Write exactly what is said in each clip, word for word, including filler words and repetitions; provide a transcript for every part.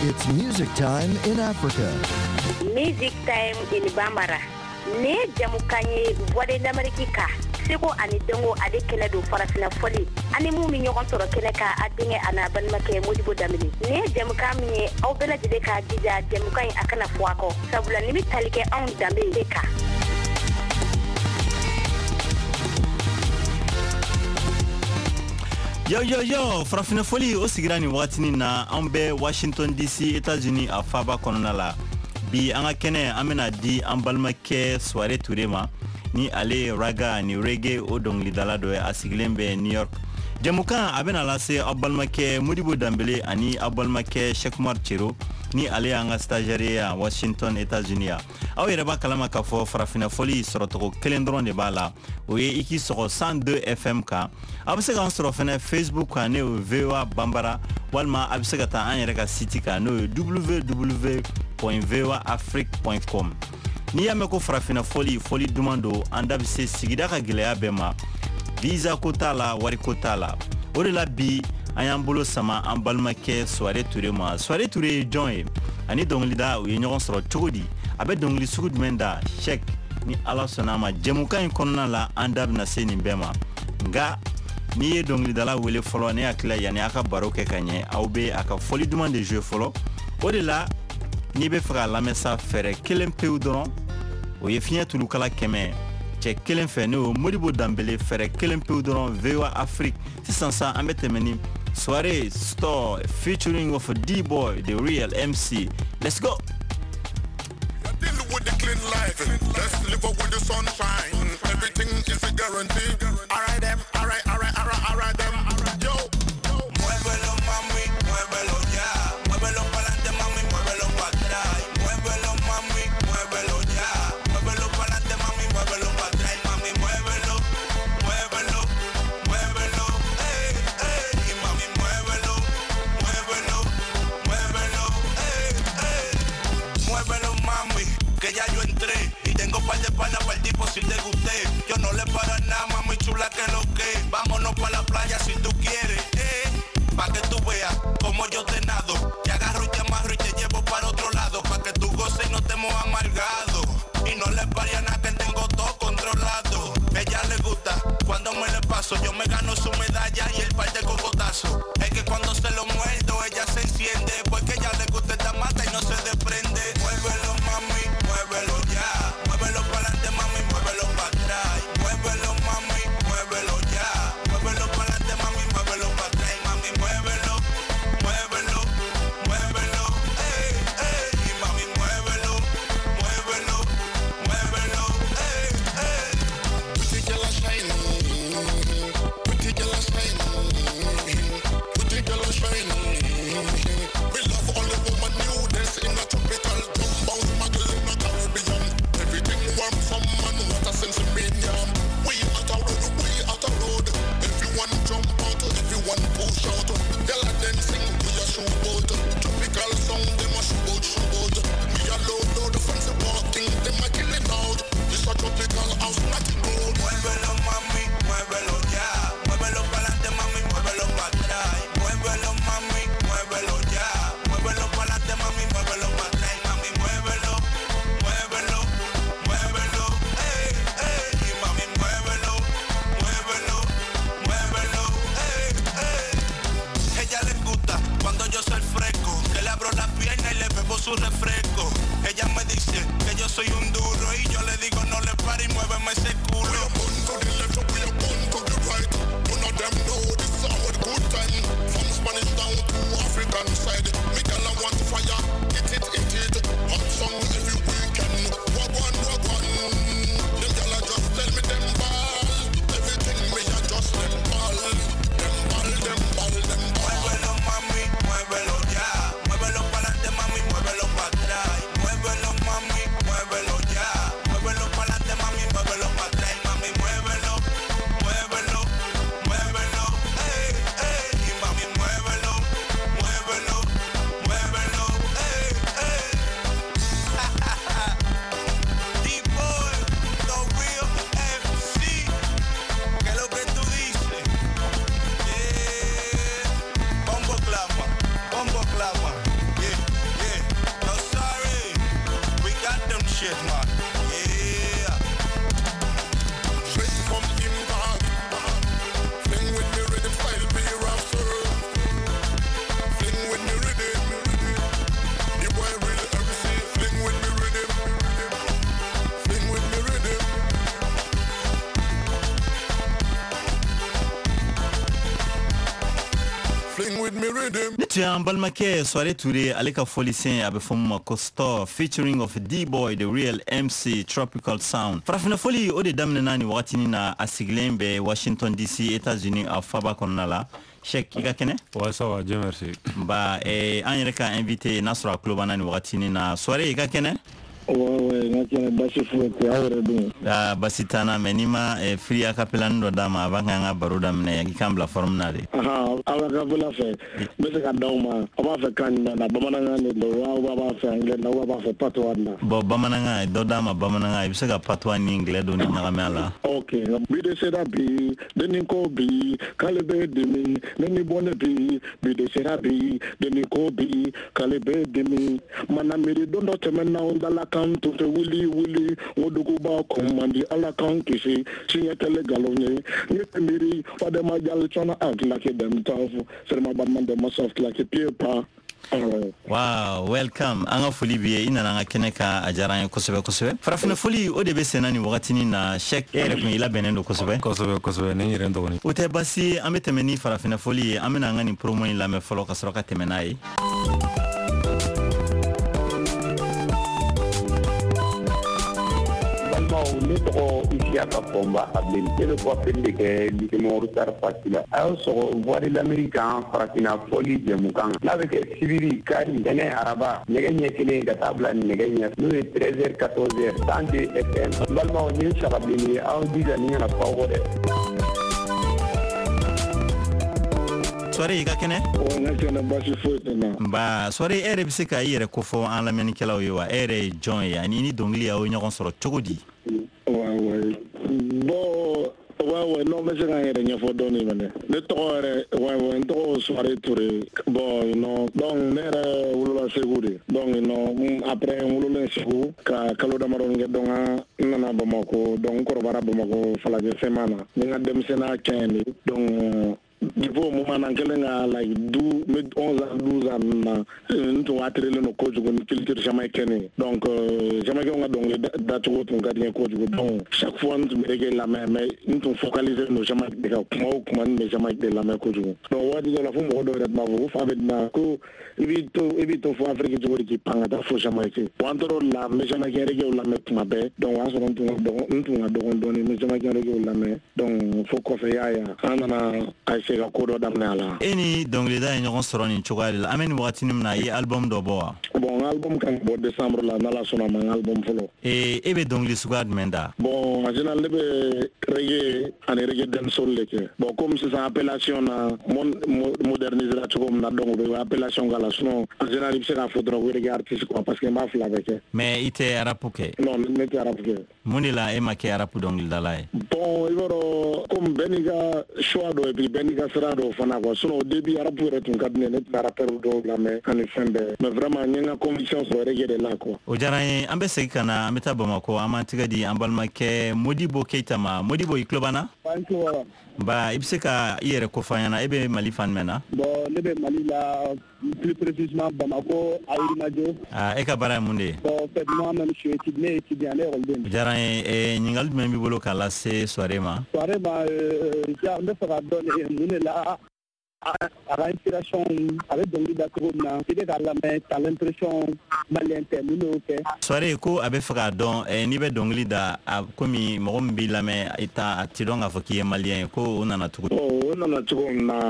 It's music time in Africa. Music time in Bambara. Ne jamukan ye Voix de l'Amérique kan seko ani dɔnko ale kɛnɛ don farafinna fɔli ani mun bɛ ɲɔgɔn sɔrɔ kɛnɛ kan a denkɛ a n'a balimakɛ Modibo Danbele nin ye jamukan min ye aw bɛɛ lajɛlen k'a jija jamukan in a kana fɔ a kɔ sabula nin bɛ tali kɛ anw danbe de kan. Yo yo yo, farafinna fɔli o sigira nin wagatinin na an bɛ Washington D C États-Unis a faaba kɔnɔna la. Bi an ka kɛnɛ an bɛna di an balimakɛ Soare Ture ma ni ale ye raga ni reggae o dɔnkilidala dɔ ye, a sigilen bɛ New York. Jɛmukan a bɛna lase aw balimakɛ Modibo Danbele ani aw balimakɛ Cheikh Umar Cero ni ale y'an ka stagiaire ye yan Washington États-Unis yan. Aw yɛrɛ b'a kalama k'a fɔ farafinna fɔli sɔrɔcogo kelen dɔrɔn de b'a la, o ye i k'i sɔgɔ cent deux F M kan. Aw bɛ se k'an sɔrɔ fɛnɛ Facebook kan, n'o ye V O A Bambara, walima a bɛ se ka taa an yɛrɛ ka site kan, n'o ye w w w point v o a afrique point com. N'i y'a mɛn ko farafinna fɔli, fɔli duman don, an da bɛ se sigida ka gɛlɛya bɛɛ ma. Visa ko t'a la, wari ko t'a la. O de la bi an y'an bolo sama an balimakɛ Soare Ture ma. Soare Ture ye jɔn ye ani dɔnkilida u ye ɲɔgɔn sɔrɔ cogo di? A bɛ dɔnkili sugu jumɛn da? Cheikh, ni Ala sɔnna a ma, jɛmukan in kɔnɔna la an da bɛna se nin bɛɛ ma. Nka n'i ye dɔnkilidala wele fɔlɔ, ne hakili la yanni a ka baro kɛ ka ɲɛ, aw bɛ a ka fɔli duman de jouer fɔlɔ. O de la n'i bɛ fɛ k'a lamɛn sa, fɛɛrɛ kelen pewu dɔrɔn, o ye fiɲɛ tulukala kɛmɛ cɛ kelen fɛ, n'o ye Modibo Danbele, fɛɛrɛ kelen pewu dɔrɔn V O A Afrique. Sisan sa an bɛ tɛmɛ ni Soare Store featuring of D-Boy, the real M C. Let's go. Deal with the clean life. Let's live up with the sunshine. Everything is a guarantee. All right, them. All right, all right, all right, all right, them. Yo. Muévelo, mami, muévelo ya. Muévelo pa'lante, mami, muévelo pa' atrás. Muévelo, mami, muévelo ya. Muévelo pa'lante, mami, muévelo pa' atrás. Mami, muévelo, muévelo, muévelo, ey, ey. Y mami, muévelo, muévelo, muévelo, ey, ey. Muévelo, mami, que ya yo entré. Y tengo par de panas pa'l tipo si te gusté. Yo no le paro a nada, mami chula, que lo que. Vámonos pa' la playa si tú quieres, eh. Pa' que tú veas como yo te nado. Te agarro y te amarro y te llevo para otro lado. Pa' que tú goces y no te mojas amargado. Y no le pare a nada que tengo todo controlado. Ella le gusta cuando me le paso. Yo me gano su medalla y el par de cocotazo. Es que cuando se lo muerdo ella se enciende. Porque ella le gusta esta mata y no se desprende. Muévelo, mami, muévelo ya. Muévelo pa'lante, mami, muévelo pa' atrás. Muévelo, mami, muévelo ya. Muévelo pa'lante, mami, muévelo pa' atrás. Mami, muévelo, muévelo, muévelo, ey, ey. Y mami, muévelo, muévelo, muévelo, ey, ey. Pretty girl a shine, pretty girl a shine, pretty girl a shine. We love all the woman new dance in a tropical jump bounce muggle in a Caribbean. Everything warm from man, what a sense of medium. We out a road, we out a road. Everyone jump out, everyone push out. Girl a dancing, we a showboat. Tropical song, them a showboat, showboat. Me a load, load, fancy walking, them a killing out. This a tropical house, nothing road. Muévelo, mami, muévelo ya. Muévelo pa'lante, mami, muévelo pa' atrás. Muévelo, mami, muévelo ya. Muévelo pa'lante, mami, muévelo pa' atrás. Mami, muévelo, muévelo, muévelo, ey, ey. Y mami, muévelo, muévelo, muévelo, ey, ey. Ella le gusta cuando yo soy fresco, que le abro la pierna y le bebo su refresco. Ella me dice que yo soy un duro y yo le digo no le pare y muéveme ese culo. We are born to the left, we are born to the right. None of them know this is our good time. From Spanish down to African side, me girl I want fire, hit it, hit it. Hot song every weekend. Wagwan, wagwan. Them girl I just tell me them ball. Everything me I just them ball. Them ball, them ball, them ball. Muévelo, mami, muévelo ya. Muévelo pa'lante, mami, muévelo pa' atrás. Muévelo, mami, muévelo ya. Muévelo pa'lante, mami, muévelo pa' atrás. Mami, muévelo, muévelo, muévelo, Shit, man. Yeah. Straight from impact. Fling with me rhythm style, be rapper. Fling with me rhythm. The boy real M C. Fling with me rhythm. Fling with me rhythm. Fling with me rhythm. Ne tun y'an balimakɛ Soare Ture, ale ka fɔlisen a bɛ fɔ min ma ko Store, featuring of D-Boy the Real M C, Tropical Sound. Farafinna fɔli o de daminɛna nin wagatinin na, a sigilen bɛ Washington D C, États-Unis, a faba kɔnɔna la. Cheikh, i ka kɛnɛ? Ouais, ça va, Dieu merci. Ba eh, an yɛrɛ ka invité n'a sɔrɔ a tulo b'an na nin wagatinin na. Soare, i ka kɛnɛ? Ouais, ouais, n ka kɛnɛ, basi foyi tɛ. Aw yɛrɛ dun? Ah, basi t'an na, mais n'i ma eh, free acapella dɔ d'a ma, a b'a kan an ka baro daminɛ, i k'an bila forme na de. Ahan, aw ka kapela fɛ, n bɛ se ka d'aw ma. Aw b'a fɛ kan jumɛn na? Bamanankan de don wa, aw b'a fɛ anglais na, aw b'a fɛ patois na? Bon, bamanankan dɔ d'a ma, bamanankan. I bɛ se ka patois ni anglais dɔ ni ɲagami a la. Ok, bi de sera bi, denni ko bi, k'ale bɛ dimi, ne ni bɔ ne bi, bi de sera bi, denni ko bi, k'ale bɛ dimi. Mana miiri don dɔ tɛmɛna, n dala kan tun tɛ wuli wuli, n ko duguba kɔn man di, Ala k'an kisi, siɲɛ kɛlɛ nkalon ye. N ye miiri fadema jali cɔna a claquer dem tough, seulement batman dem soft like a paper. Alright. Wow, welcome. An ka foli b'i ye, i nana an ka kɛnɛ kan, a diyara an ye kosɛbɛ kosɛbɛ. Farafinna foli o de bɛ senna nin wagatinin na. Cheikh, e yɛrɛ kun i labɛnnen don kosɛbɛ. Kosɛbɛ kosɛbɛ, ni n yɛrɛ dɔgɔnin. O tɛ basi ye, an bɛ tɛmɛ ni farafinna foli ye. An bɛna an ka nin promo in lamɛn fɔlɔ ka sɔrɔ ka tɛmɛ n'a ye. Balimaw, ne tɔgɔ Isiyaka Fɔnba Abilen, ne bɛ coiffure de kɛ lycée Momodou Sarr Fass la. A y'aw sɔgɔ Voix de l'Amérique kan, farafinna fɔli jɛmukan n'a bɛ kɛ sibiri, kari, ntɛnɛn, araba, nɛgɛ ɲɛ kelen ka taa bila nɛgɛ ɲɛ n'o ye treize heures quatorze heures, cent deux F M. N balimaw, nin ye sagabilenni ye, aw jija nin kana fɔ aw kɔ dɛ. Soare, i ka kɛnɛ? Ouais, n ka kɛnɛ, basi foyi tɛ n na. Nba, Soare, e yɛrɛ bɛ se ka i yɛrɛ kofɔ an lamɛnnikɛlaw ye wa? E yɛrɛ ye jɔn ye ani ni dɔnkili y'aw ye ɲɔgɔn sɔrɔ cogo di? Ouais, ouais. Bon, ouais, ouais, non, n bɛ se ka n yɛrɛ ɲɛfɔ dɔɔni fɛnɛ. Ne tɔgɔ yɛrɛ, ouais, ouais, n tɔgɔ Soare Touré. Bon, non, donc ne yɛrɛ wolola Segu de. Donc, non, après n wololen Segu ka kalo damadɔni kɛ, donc n nana Bamako, donc n kɔrɔbayara Bamako Falajɛ Sema na. N ye n ka denmisɛnninya kɛ yen de. Donc depuis o moment na, n kɛlen ka like du n bɛ onze ans, douze ans ninnu na, n tun attiré don kojugu ni culture jamaïcaine ye. Donc euh, jamaïcain ka dɔnkili dacogo tun ka di n ye kojugu. Donc chaque fois n tun bɛ reggae lamɛn, mais n tun focalisé don Jamaïque de kan. Kuma o kuma, n tun bɛ Jamaïque de lamɛn kojugu. Donc waati dɔ la, fo mɔgɔ dɔw yɛrɛ tun b'a fɔ ko fa bɛ na ko i b'i to i b'i to fo Afrique cogo di k'i pan ka taa fo Jamaïque? Bon, an tor'o la, n bɛ jamaïcain reggae lamɛn tuma bɛɛ. Donc o y'a sɔrɔ n tun ka dɔgɔ n tun ka dɔgɔ dɔɔni, n bɛ jamaïcain reggae lamɛn. Donc fo kɔfɛ, i y'a ye, an nana a essayer ka ko dɔ daminɛ a la. E ni dɔnkilida ye ɲɔgɔn sɔrɔ nin cogoya de la. An bɛ nin wagatinin min na, i ye album dɔ bɔ wa? Bon, n ka album kan ka bɔ décembre la, n'Ala sɔnna ma, n ka album fɔlɔ. Ee, e bɛ dɔnkili suguya jumɛn da? Bon, en général ne bɛ reggae ani reggae dancehall de kɛ. Bon, comme sisan appellation na mon modernisera cogo min na, donc u bɛ appellation k'a la. Sinon en général i bɛ se k'a fɔ dɔrɔn ko reggae artiste quoi, parce que n b'a fila bɛɛ kɛ. Mais i tɛ rap kɛ? Non, ne tɛ rap kɛ. Mun de la e ma kɛ rap dɔnkilidala ye? Bon, i b'a dɔn, comme bɛɛ n'i ka choix dɔ et puis bɛɛ n'i ka sira dɔ fana quoi. Sinon au début, rap yɛrɛ tun ka di ne ye, ne tun bɛ rappeur dɔw lamɛn ani fɛn bɛɛ, mais vraiment n ye n ka conviction sɔrɔ reggae de la quoi. O diyara n ye. An bɛ segin ka na, an bɛ taa Bamakɔ, an b'an tɛgɛ di an balimakɛ Modibo Keyita ma. Modibo, i tulo b'an na? An tulo b'a la. Nba, i bɛ se ka i yɛrɛ kofɔ an ɲɛna, e bɛ Mali fan jumɛn na? Bon, ne bɛ Mali la, plus précisément Bamako, à Yirimajɔ. Ah, e ka baara ye mun de ye? Bon, en fait, moi-même je suis étudiant, ne ye étudiant, ne ye ekɔliden. O diyara n ye. Eh, ɲininkali jumɛn b'i bolo k'a lase Soare ma? Soare ma, euh, ja, n bɛ fɛ ka dɔn de mun de la a ka inspiration, a bɛ dɔnkili da cogo min na, i bɛ k'a lamɛn, t'as l'impression malien tɛ. Mun de y'o kɛ? Soare ko a bɛ fɛ k'a dɔn, eh, n'i bɛ dɔnkili da, a komi mɔgɔ min b'i lamɛn, i t'a a ti dɔn k'a fɔ k'i ye malien ye, ko o nana cogo di? Bon, o nana cogo min na,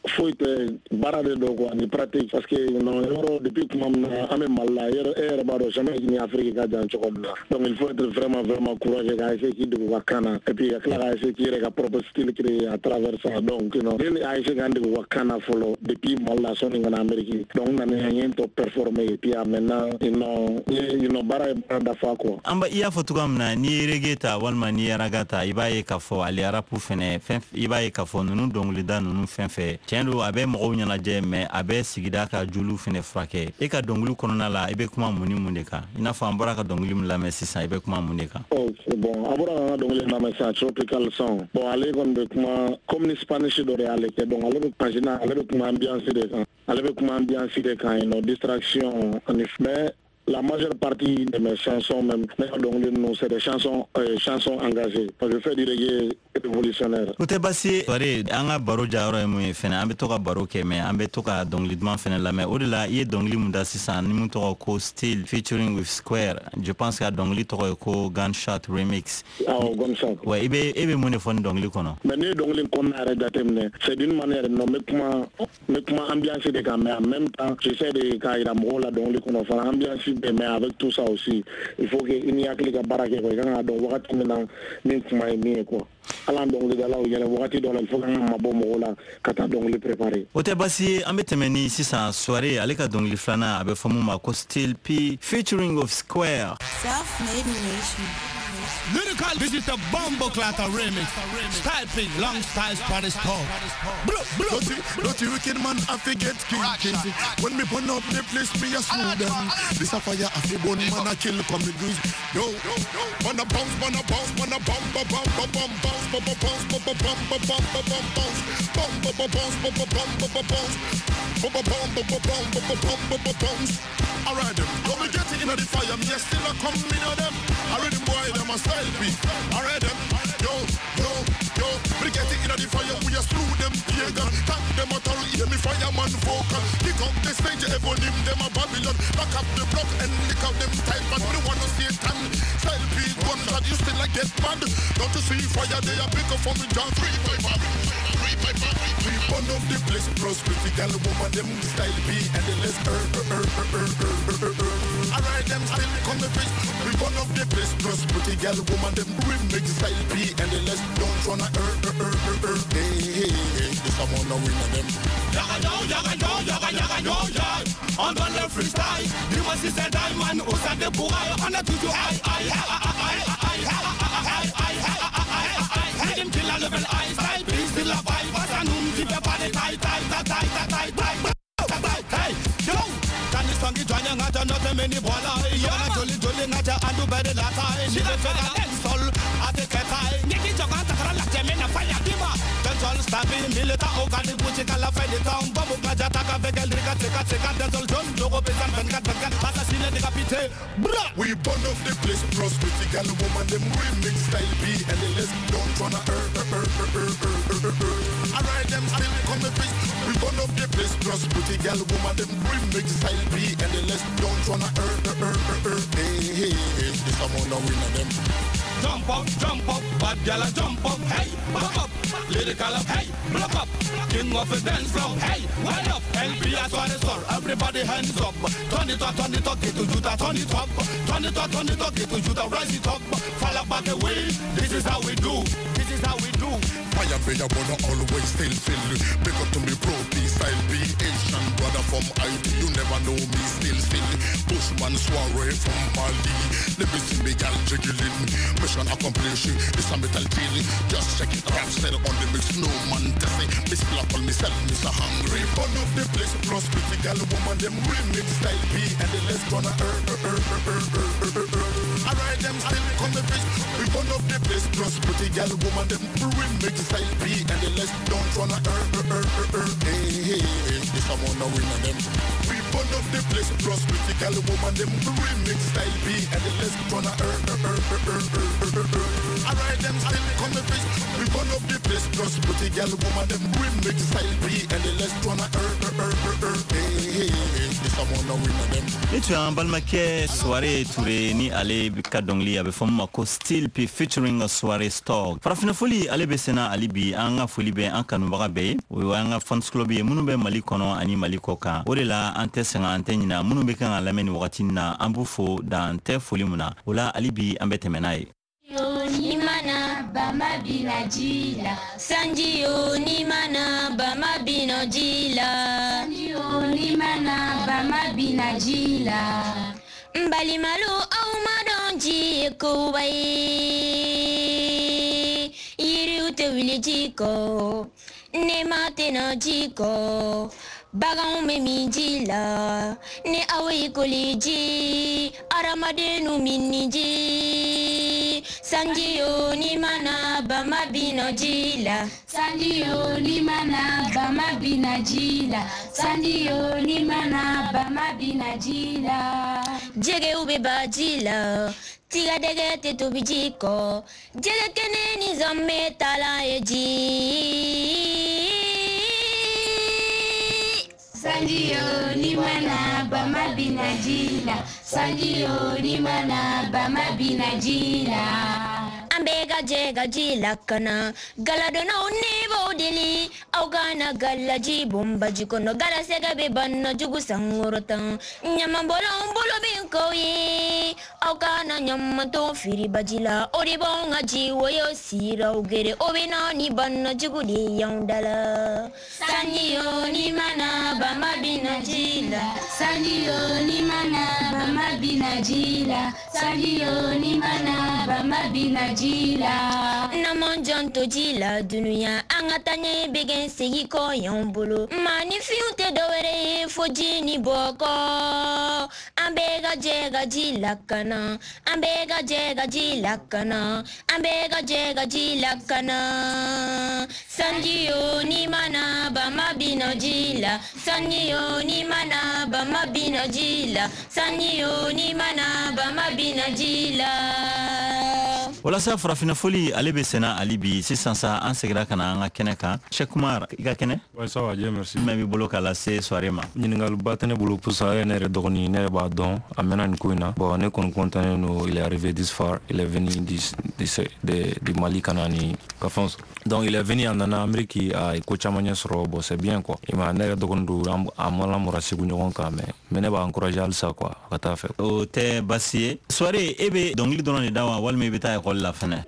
foyi tɛ, baara de don quoi, ni pratique, parce que non, yɔrɔ depuis tuma min na an bɛ Mali la, yɔrɔ e yɛrɛ b'a dɔn Jamaïque ni Afrique ka jan cogo min na. Donc il faut être vraiment vraiment courageux ka essayer k'i dege u ka kan na et puis ka tila ka essayer k'i yɛrɛ ka propre style créer à travers ça. Donc non, ne a essayer k'an dege u ka kan na fɔlɔ depuis Mali la sɔnni ka na Amérique. Donc n nana n ye n tɔ performer et puis maintenant, non, n baara ye baara dafa quoi. An ba i y'a fɔ cogoya min na, n'i ye reggae ta walima n'i ye raga ta, i b'a ye k'a fɔ ale rap fɛnɛ fɛn, i b'a ye k'a fɔ ninnu dɔnkilida ninnu fɛn fɛn cɛ. Tiɲɛ don, a bɛ mɔgɔw ɲɛnajɛ, mais a bɛ sigida ka joliw fɛnɛ furakɛ. E ka dɔnkili kɔnɔna la, i bɛ kuma mun ni mun de kan? I n'a fɔ an bɔra ka dɔnkili min lamɛn sisan, i bɛ kuma mun de kan? Oh, bon, an bɔra ka dɔnkili lamɛn sisan, Tropical Song. Bon, ale kɔni bɛ kuma comme ni Spanish dɔ de y'ale kɛ. Donc ale bɛ en général, ale bɛ kuma ambiance de kan. Ale bɛ kuma ambiance de kan yen nɔ, distraction ani, mais la majeure partie de mes chansons, même, donc, c'est des chansons, euh, chansons engagées. Parce que je fais du reggae révolutionnaire. O tɛ baasi ye, Souaré. An ka baro jayɔrɔ ye mun ye fɛnɛ, an bɛ to ka baro kɛ, mais an bɛ to ka dɔnkili duman fɛnɛ lamɛn. O de la, i ye dɔnkili mun da sisan ni mun tɔgɔ ko Steel featuring with Square, je pense que a dɔnkili tɔgɔ ye ko Gunshot Remix. Awɔ, Gunshot. Ouais, i bɛ e bɛ mun de fɔ nin dɔnkili kɔnɔ? Mais ne ye dɔnkili kɔnɔna yɛrɛ jateminɛ, c'est d'une manière, non, n bɛ kuma n bɛ kuma ambiance de kan, mais en même temps j'essaie de k'a yira mɔgɔw la dɔnkili kɔnɔ fana, ambiance bɛ, mais avec tout ça aussi, il faut que i ni hakili ka baara kɛ quoi. I kan k'a dɔn wagati min na min kuma ye min ye quoi. Hali an dɔnkilidalaw yɛrɛ, wagati dɔ la, il faut k'an ka mabɔ mɔgɔw la ka taa dɔnkili préparer. O tɛ baasi ye. An bɛ tɛmɛ ni sisan Souaré ale ka dɔnkili filanan, a bɛ fɔ mun ma ko Steel P featuring of Square. Self-made nation. Lyrical, this is the Bombo Clatter remix. Style P, long styles, party talk. Dirty, dirty wicked man, I forget king. When me burn up the place, me a slew them. This a fire, I fi burn man, I kill come the grease. Yo, man a bounce, man a bounce, man a bump, bump, bump, bump, bounce, bump, bounce, bump, bump, bump, bump, bump, bounce, bump, bump, bounce, bump, bump, bump, bounce, bump, bump, bump, bump, bump, bump, bounce. Alright them, come we get it in the fire, me still a come in them. Alright them boy, them a style P. Alright them, yo, yo, yo, we get it in the fire, we a slew them pagan. Thank them a tall, hear me fireman vocal. Kick up the stage, ever name them a Babylon. Back up the block and lick out them type, but we wanna see tan. Style P, gunshot, you still like get mad. Don't you see fire, they a pick up for me, John. Three, five, five, three, five, five. We burn up the place, plus critical woman, them style P, and the less er, er, er, er, er, er, er, er. Alright, them still come the face. We burn up the place, plus pretty girl, woman, them remix style P, and the less don't wanna er, er, er, er, er. Hey, hey, hey, this a one winner them. Yaga yo, yaga yo, yaga yaga yo, ya. On donne le freestyle. Dis-moi si c'est Diamond ou ça débourraille. On a toujours aïe, aïe, aïe, aïe, aïe, aïe, aïe, aïe, aïe. Rhythm kill la level high, style P, still la vibe. Face à nous, tu fais pas de taille, taille, taille, taille, taille, taille, taille. Hey, yo. Kani jwanya ngacha note meni bwala. Yona joli joli ngacha andu bere lata. Ni fela dancehall ate ketai. Ngeki joka takara la jemena fire dima. Dancehall stabi milita ogani puchi kala fedi town. Bombo ngacha taka vegel rika teka teka. Dancehall John jogo bezan benkat benkat. Assassiné décapité. Bra. We burn up the place, plus critical woman them remix style B and the less don't wanna er er er er er er er er. Alright them still come the face. We burn up the place, plus pretty girl woman them remix style B and the less don't wanna er er er er er. Hey hey hey, this a one winner them. Jump up, jump up, bad gyal a jump up, hey, pop up, lyrical up, hey, block up, king of the dance floor, hey, wind up, L P S one is all, everybody hands up, turn it up, turn it up, get to Judah, turn it up, turn it up, turn it up, get to Judah, rise it up, fall back away, this is how we do, this is how we do. Fire be a wanna always still feel. Big up to me pro P style B Asian brother from I T. You never know me still still. Bushman soiree from Mali. Let me see me gal jiggling. Mission accomplished. This a metal deal. Just check it out. Set on the mix. No man to say. Miss Black on myself. Mister Hungry. Burn up the place. Plus pretty gal woman them remix style B and the less gonna er er er er er er er er. Alright them still come the face. We burn up the place. Plus pretty gal woman them remix style B and the less don't wanna er er er er er. Hey hey hey, this a one winner them. We burn up the place, plus pretty girl woman them remix style B and the less wanna er er er er er er er. Alright them still come the face. We burn up the place, plus pretty girl woman them remix style B and the less wanna er er er er er. Hey hey hey, this a one winner them. Ne tun y'an balimakɛ Souaré Touré ni ale ka dɔnkili a bɛ fɔ min ma ko Steel P featuring Soirée Stock. Farafinna foli ale bɛ senna hali bi. An ka foli bɛ an kanubaga bɛɛ ye, o y'an ka fans club ye minnu bɛ Mali kɔnɔ ani Mali kɔ kan. O de la an tɛ sɛgɛn, an tɛ ɲina minnu bɛ kan ka lamɛn nin wagati in na, an b'u fo dan tɛ foli mun na. O la hali bi an bɛ tɛmɛ n'a ye. Ni mana bama bina ji la, sanji yo ni mana bama bina ji la, sanji yo ni mana bama bina ji la. N balimalu aw ma dɔn ji ye koba ye, yiriw tɛ wuli ji kɔ. Ne ma tɛna ji kɔ, baganw bɛ min ji la. Ni aw ye koli ji, hadamadenw min ni ji. Sanji yo ni mana bama bina ji la. Sanji yo ni mana bama bina ji la. Sanji yo ni mana bama bina ji la. Jɛgɛw bɛ ba ji la, tigadɛgɛ tɛ tobi ji kɔ. Jɛgɛ kɛnɛ ni zanmɛ taalan ye ji. Sanji yo ni mana bama bina ji la. Sanji yo ni mana bama bina ji la. An bɛɛ ka jɛ ka ji lakana. Galadonnaw ne b'aw deli, aw kana galaji bɔn baji kɔnɔ. Galasɛgɛ bɛ bana jugu sankɔrɔta. Ɲamanbɔlanw bolo bɛ n k'aw ye, aw kana ɲamanton fili baji la. O de b'anw ka ji woyo siraw gere, o bɛ na ni bana jugu de y'anw da la. Sanji yo ni mana bama bina ji la. Sanji yo ni mana bama bina ji la. Sanji yo ni mana bama bina ji la. N'an m'an janto ji la dunuya, an ka taa ɲɛ bɛ kɛ segin kɔ y'anw bolo. Maaninfinw tɛ dɔwɛrɛ ye fo ji ni bɔgɔ. An bɛɛ ka jɛ ka ji lakana. An bɛɛ ka jɛ ka ji lakana. An bɛɛ ka jɛ ka ji lakana. Sanji yo ni mana bama bina ji la. Sanji yo ni mana bama bina ji la. Sanji yo ni mana bama bina ji la. Walasa farafinna foli ale bɛ senna hali bi. Sisan sa an seginna ka na an ka kɛnɛ kan. Cheikh Kumar, i ka kɛnɛ? Ouais, ça va, Dieu merci. Jumɛn b'i bolo k'a lase soirée ma? Ɲininkaliba tɛ ne bolo pusa ale ye ne yɛrɛ dɔgɔnin, ne yɛrɛ b'a dɔn, a mɛnna nin ko in na. Bon, ne kɔni content don, il est arrivé this far, il est venu du, du, de, du Mali ka na ni ka fɛnw sɔrɔ. Donc il est venu, a nana Amérique, a ye ko caman ɲɛ sɔrɔ, bon c'est bien quoi. I ma ne yɛrɛ dɔgɔnin don, a ma lamɔra Segu ɲɔgɔn kan, mais mais ne b'a encourager halisa quoi, a ka taa fɛ. O tɛ baasi ye. Soirée, e bɛ dɔnkili dɔrɔn de da wa, walima i bɛ taa école la fɛnɛ?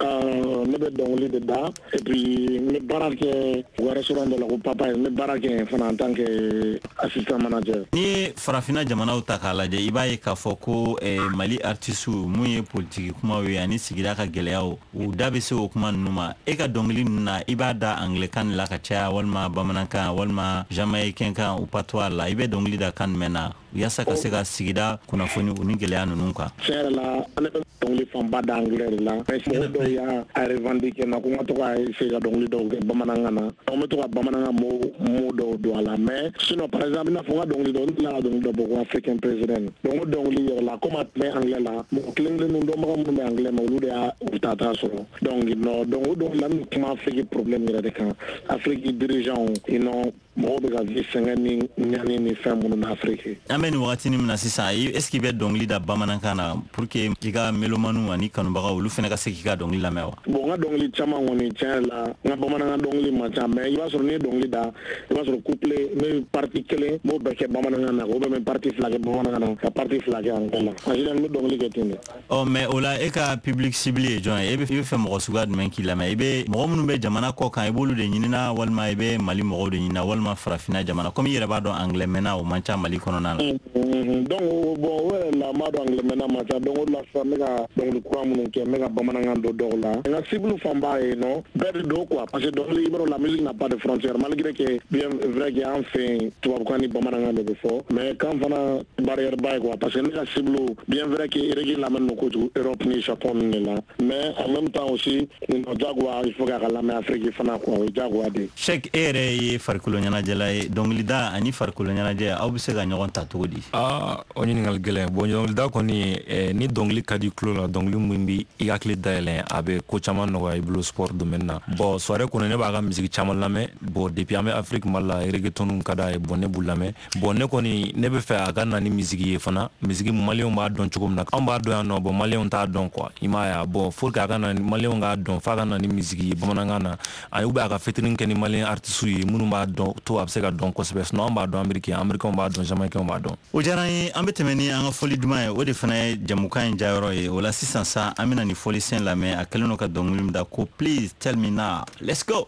Ne bɛ dɔnkili de da, et puis n bɛ baara kɛ u ka restaurant dɔ la ko Papa ye, n bɛ baara kɛ yen fana en tant que assistant manager. N'i ye farafinna jamanaw ta k'a lajɛ, i b'a ye k'a fɔ ko eh, Mali artiste mun ye politiki kumaw ye ani sigida ka gɛlɛyaw, u da bɛ se o kuma ninnu ma. E ka dɔnkili ninnu na, i b'a da anglais kan de la ka caya, walima bamanankan, walima jamaïcain kan ou patois la? I bɛ dɔnkili da kan jumɛn na yaasa ka se ka sigida kunnafoni u ni gɛlɛya ninnu kan? Tiɲɛ yɛrɛ la, ne bɛ dɔnkili fanba da anglais de la, mais mɔgɔ dɔw y'a revendiquer na ko n ka to ka essayer ka dɔnkili dɔw kɛ bamanankan na. Donc n bɛ to ka bamanankan mot mot dɔw don a la, mais sinon par exemple i n'a fɔ n ka dɔnkili dɔw, n delila ka dɔnkili dɔ bɔ ko African President. Donc o dɔnkili yɛrɛ la, komi a tun bɛ anglais la, mɔgɔ kelen kelenninw dɔnbaga minnu bɛ anglais mɛn, olu de y'a u ta t'a sɔrɔ. Donc non, donc o dɔnkili la, n bɛ kuma Afrique problème yɛrɛ de kan, Afrique dirigeant, you know, mɔgɔw bɛ ka vie sɛgɛn ni ɲani ni fɛn minnu na Afrique. An bɛ nin wagatinin min na sisan, est ce que i bɛ dɔnkili da bamanankan na pour que i ka mélomaniw ani kanubagaw olu fana ka se k'i ka dɔnkili lamɛn wa? Bon, n ka dɔnkili caman kɔni, tiɲɛ yɛrɛ la, n ka bamanankan dɔnkili man ca, mais i b'a sɔrɔ n'i ye dɔnkili da, i b'a sɔrɔ couplet n bɛ partie kelen n b'o bɛɛ kɛ bamanankan na, ou bien n bɛ partie fila kɛ bamanankan na ka partie fila kɛ anglais la. En général n bɛ dɔnkili kɛ ten de. Ɔ mais o la e ka public cible ye jɔn ye? E bɛ fɛ mɔgɔ suguya jumɛn k'i lamɛn? I bɛ mɔgɔ minnu bɛ jamana kɔ kan, i b'olu de ɲinina, walima i bɛ Mali mɔgɔw de ɲinina, walima farafinna jamana? Komi i yɛrɛ b'a dɔn anglais mɛnna o man ca Mali kɔnɔna la. Donc bon, o yɛrɛ la n b'a dɔn anglais mɛnna man ca, donc o de la sisan n bɛ ka dɔnkili kura minnu kɛ, n bɛ ka bamanankan don dɔw la. N ka cible fanba ye nɔ bɛɛ de don quoi, parce que dɔnkili, i b'a dɔn, la musique n'a pas de frontière, malgré que bien vrai que an fɛ yen tubabukan ni bamanankan de bɛ fɔ, mais kan fana barrière ba ye quoi, parce que ne ka cible, bien vrai que reggae lamɛn don kojugu Europe ni Japon ninnu de la, mais en même temps aussi jagoya il faut k'a ka lamɛn Afrique fana quoi, o ye jagoya de ye. Cheikh, e yɛrɛ ye farikolo ɲɛnajɛla ye, dɔnkilida ani farikolo ɲɛnajɛ aw bɛ se ka ɲɔgɔn ta cogo di? Aa, o ɲininkali gɛlɛn. Bon, dɔnkilida kɔni, eh, ni dɔnkili ka di tulo la, dɔnkili min bi i hakili dayɛlɛn, a bɛ ko caman nɔgɔya i bolo sport domaine na. Bon, soirée kɔnɔ ne b'a ka musique caman lamɛn. Bon, depuis an bɛ Afrique, Mali la, reggaeton ka d'a ye, bon ne b'u lamɛn. Bon, ne kɔni ne bɛ fɛ a ka na ni musique ye fana, musique maliyɛnw b'a dɔn cogo min na, anw b'a dɔn yan nɔ, bon maliyɛnw t'a dɔn quoi, i m'a ye. Bon, faut que a ka na maliyɛnw k'a dɔn, f'a ka na ni musique ye bamanankan na, ani ou bien a ka featuring kɛ ni maliyɛn artistes ye minnu b'a dɔn to a bɛ se ka dɔn kosɛbɛ. Sinon an b'a dɔn Amérique, Américains b'a dɔn, Jamaïcains b'a dɔn. O diyara n ye. An bɛ tɛmɛ ni an ka fɔli duman ye, o de fana ye jamukan in jayɔrɔ ye. O la sisan sa, an bɛna nin fɔlisen lamɛn, a kɛlen don ka dɔnkili min da ko Please Tell Me Now. Let's go.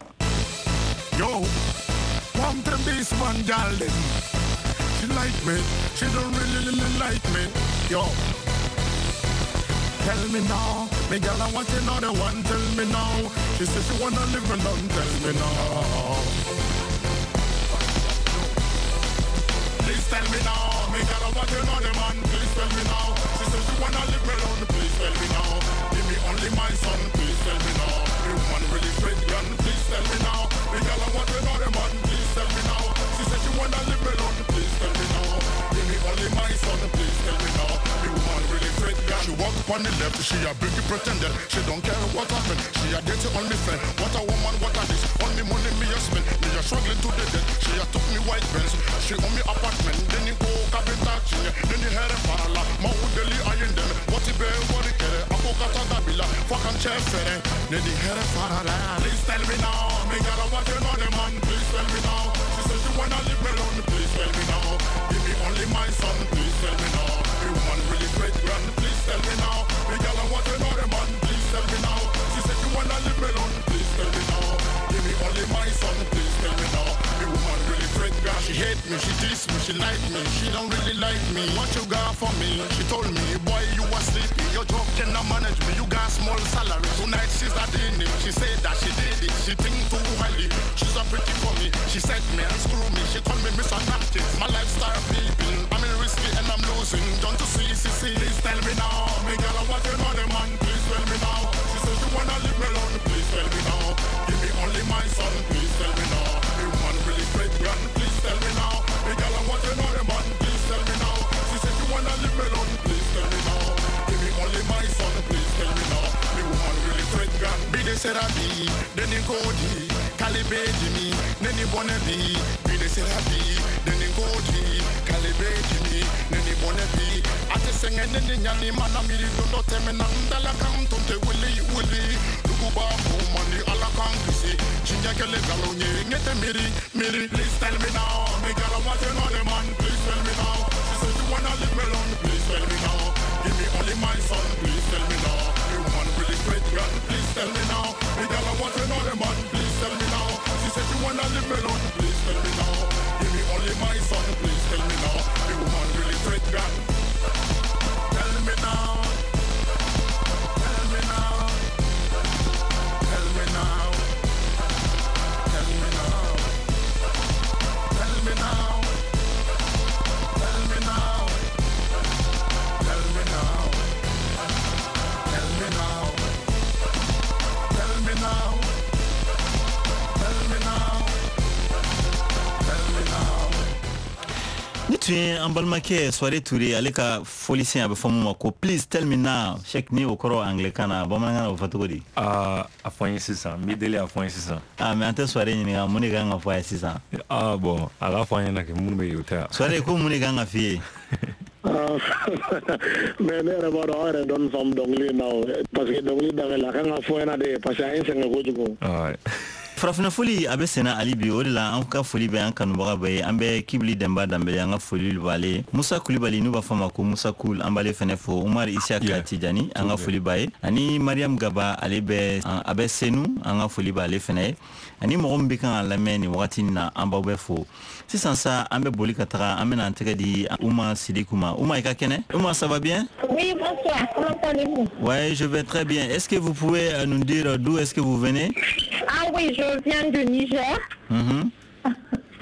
Yo, one to this one darling. She like me, she don't really, really like me. Yo, tell me now, me girl I want another one. Tell me now, she says she wanna live alone. Tell me now. Please tell me now. Me girl, I want another man. Please tell me now. She said she wanna leave me alone. Please tell me now. Give me only my son. Please tell me now. The woman really straight gun. Please tell me now. Me girl, I want another man. Please tell me now. She said she wanna leave me alone. Please tell me now. Give me only my son. Please tell me now. The woman really straight gun. She walk up on the left. She a big pretender. She don't care what happened. She a dirty only friend. What a woman, what a this. Only money me a spend. Me a struggling to the death. She a took me white Benz. She own me apartment. Then you go cabin touching. Then you hear a parala. Ma udeli iron them. What you bear, what you care. Ako kata dabila. Fuck and chef. Then you hear a parala. Please tell me now. Me girl, I want another man. Please tell me now. She said she wanna leave me alone. Please tell me now. Give me only my son. Please tell me now. The woman really great grand. Please tell me now. Me girl, I want another man. Please tell me now. She said she wanna leave me alone. Please tell me now. Give me only my son. Please tell me now. The woman really great grand. She hate me, she diss me, she like me. She don't really like me. What you got for me? She told me, boy, you are sleepy. Your job cannot manage me. You got small salary. Tonight she's a dinner. She said that she did it. She think too highly. She's a pretty for me. She said me and screw me. She called me Mister Napkin. My lifestyle peeping. I'm in risky and I'm losing. Don't you see, see, see. Please tell me now. Me girl, I want another man. Please tell me now. She said she wanna leave me alone. Please tell me now. Give me only my son. Please tell me now. The woman really straight gun. Please tell me now. Me girl, I want another man. Please tell me now. She said she wanna leave me alone. Please tell me now. Give me only my son. Please tell me now. The woman really straight gun. Be the Serabi, then you go di, Calibe Jimmy, then you wanna be. Be the Serabi, then you go di, Calibe Jimmy, then you wanna be. Ate senge nene nyani mana miri dondo teme nandala kantonte wili wili. Lukuba kumani ala kankisi. Chinja kele galonye ngete miri miri. Please tell me now, me girl I want another man. Please tell me now. She said she wanna leave me alone. Please tell me now. Give me only my son. Please tell me now. The woman really straight gun. Please tell me now. Me girl I want another man. Please tell me now. She said she wanna leave me alone. Please tell me now. Give me only my son. Please tell me now. The woman really straight gun. Tell me now. Tell me now. Tell me now. Tell me now. Tell me now. Tell me now. Tell me now. Tell me now. Tell me now. Tell me now. Tell me now. Ni tun ye an balimakɛ Soare Ture ale ka fɔlisen a bɛ fɔ mun ma ko please tell me now. Cheikh ni o kɔrɔ anglais-kan na bamanankan na o fɔ cogo di? Aa a fɔ n ye sisan n b'i deli a fɔ n ye sisan. Ah mais an tɛ Soare ɲininka mun de kan ka fɔ a ye sisan? Ah bon a k'a fɔ an ɲɛna kɛ minnu bɛ yen o tɛ yan. Soare ko mun de kan ka f'i ye? Mais ne yɛrɛ b'a dɔn aw yɛrɛ dɔɔni faamu dɔnkili in na o parce que dɔnkili daminɛ la a kan ka fɔ ɲɛna de parce que a ye n sɛgɛn kojugu. Farafinna foli a bɛ senna hali bi o de la an ka foli bɛ an kanubaga bɛɛ ye an bɛ Kibili Denba Danbele an ka foli b'ale Musa Kulibali n'u b'a fɔ a ma ko Musa Kul an b'ale fɛnɛ fo Umar Isiaka Tijani an ka foli b'a ye ani Mariam Gaba ale bɛ a bɛ Senu an ka foli b'ale fɛnɛ ye ani mɔgɔ min bɛ kan ka lamɛn nin wagati in na an b'aw bɛɛ fo sisan sa an bɛ boli ka taga an bɛna an tɛgɛ di Ouma Sidikou ma. Ouma i ka kɛnɛ? Ouma, ça va bien? Oui, bonsoir. Comment allez-vous? Ouais, je vais très bien. Est-ce que vous pouvez nous dire d'où est-ce que vous venez? Ah oui, je viens du Niger. Mm-hmm.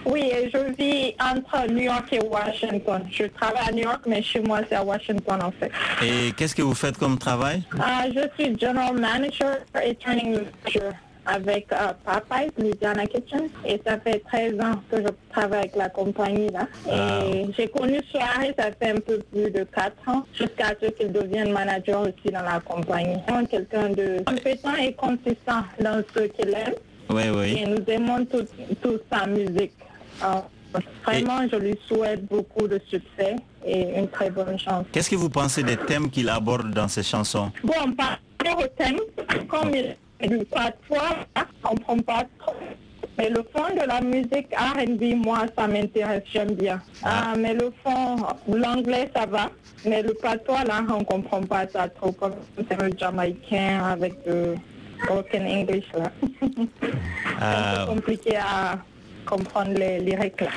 Oui, je vis entre New York et Washington. Je travaille à New York, mais chez moi, c'est à Washington, en fait. Et qu'est-ce que vous faites comme travail? Euh, je suis general manager et training manager avec euh, Popeyes, Louisiana Kitchen. Et ça fait treize ans que je travaille avec la compagnie, là. Et ah. J'ai connu Soare, ça fait un peu plus de quatre ans, jusqu'à ce qu'il devienne manager aussi dans la compagnie. Quelqu'un de compétent et consistant dans ce qu'il aime. Oui, oui. Et nous aimons toute tout sa musique. Alors, vraiment, et je lui souhaite beaucoup de succès et une très bonne chance. Qu'est-ce que vous pensez des thèmes qu'il aborde dans ses chansons? Bon, par rapport au thème, comme il parfois, on ne comprend pas trop. Mais le fond de la musique R and B, moi, ça m'intéresse, j'aime bien. Ah. Ah, mais le fond, l'anglais, ça va. Mais le patois, là, on ne comprend pas ça trop. Comme c'est le jamaïcain avec le broken English, là. C'est un peu compliqué à comprendre les lyrics, là.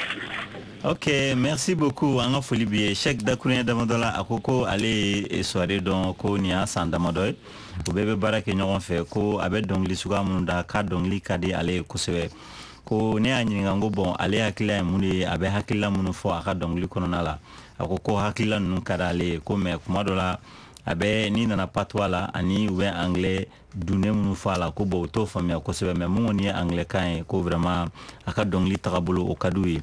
Ok, merci beaucoup. An ka foli b'i ye. Cheikh dakuruɲɛ damadɔ la a ko ko ale ye Soare dɔn ko nin y'a san damadɔ ye. U bɛɛ bɛ baara kɛ ɲɔgɔn fɛ ko a bɛ dɔnkili suguya minnu da k'a dɔnkili ka di ale ye kosɛbɛ. Ko ne y'a ɲininka n ko bon ale hakilila ye mun de ye, a bɛ hakilila minnu fɔ a ka dɔnkili kɔnɔna la. A ko ko hakilila ninnu ka d'ale ye, ko mais kuma dɔ la a bɛ n'i nana patois la ani u bɛ anglais dunnen minnu fɔ a la, ko bon u t'o faamuya kosɛbɛ, mais mun kɔni ye anglais kan ye, ko vraiment a ka dɔnkili tagabolo o ka d'u ye.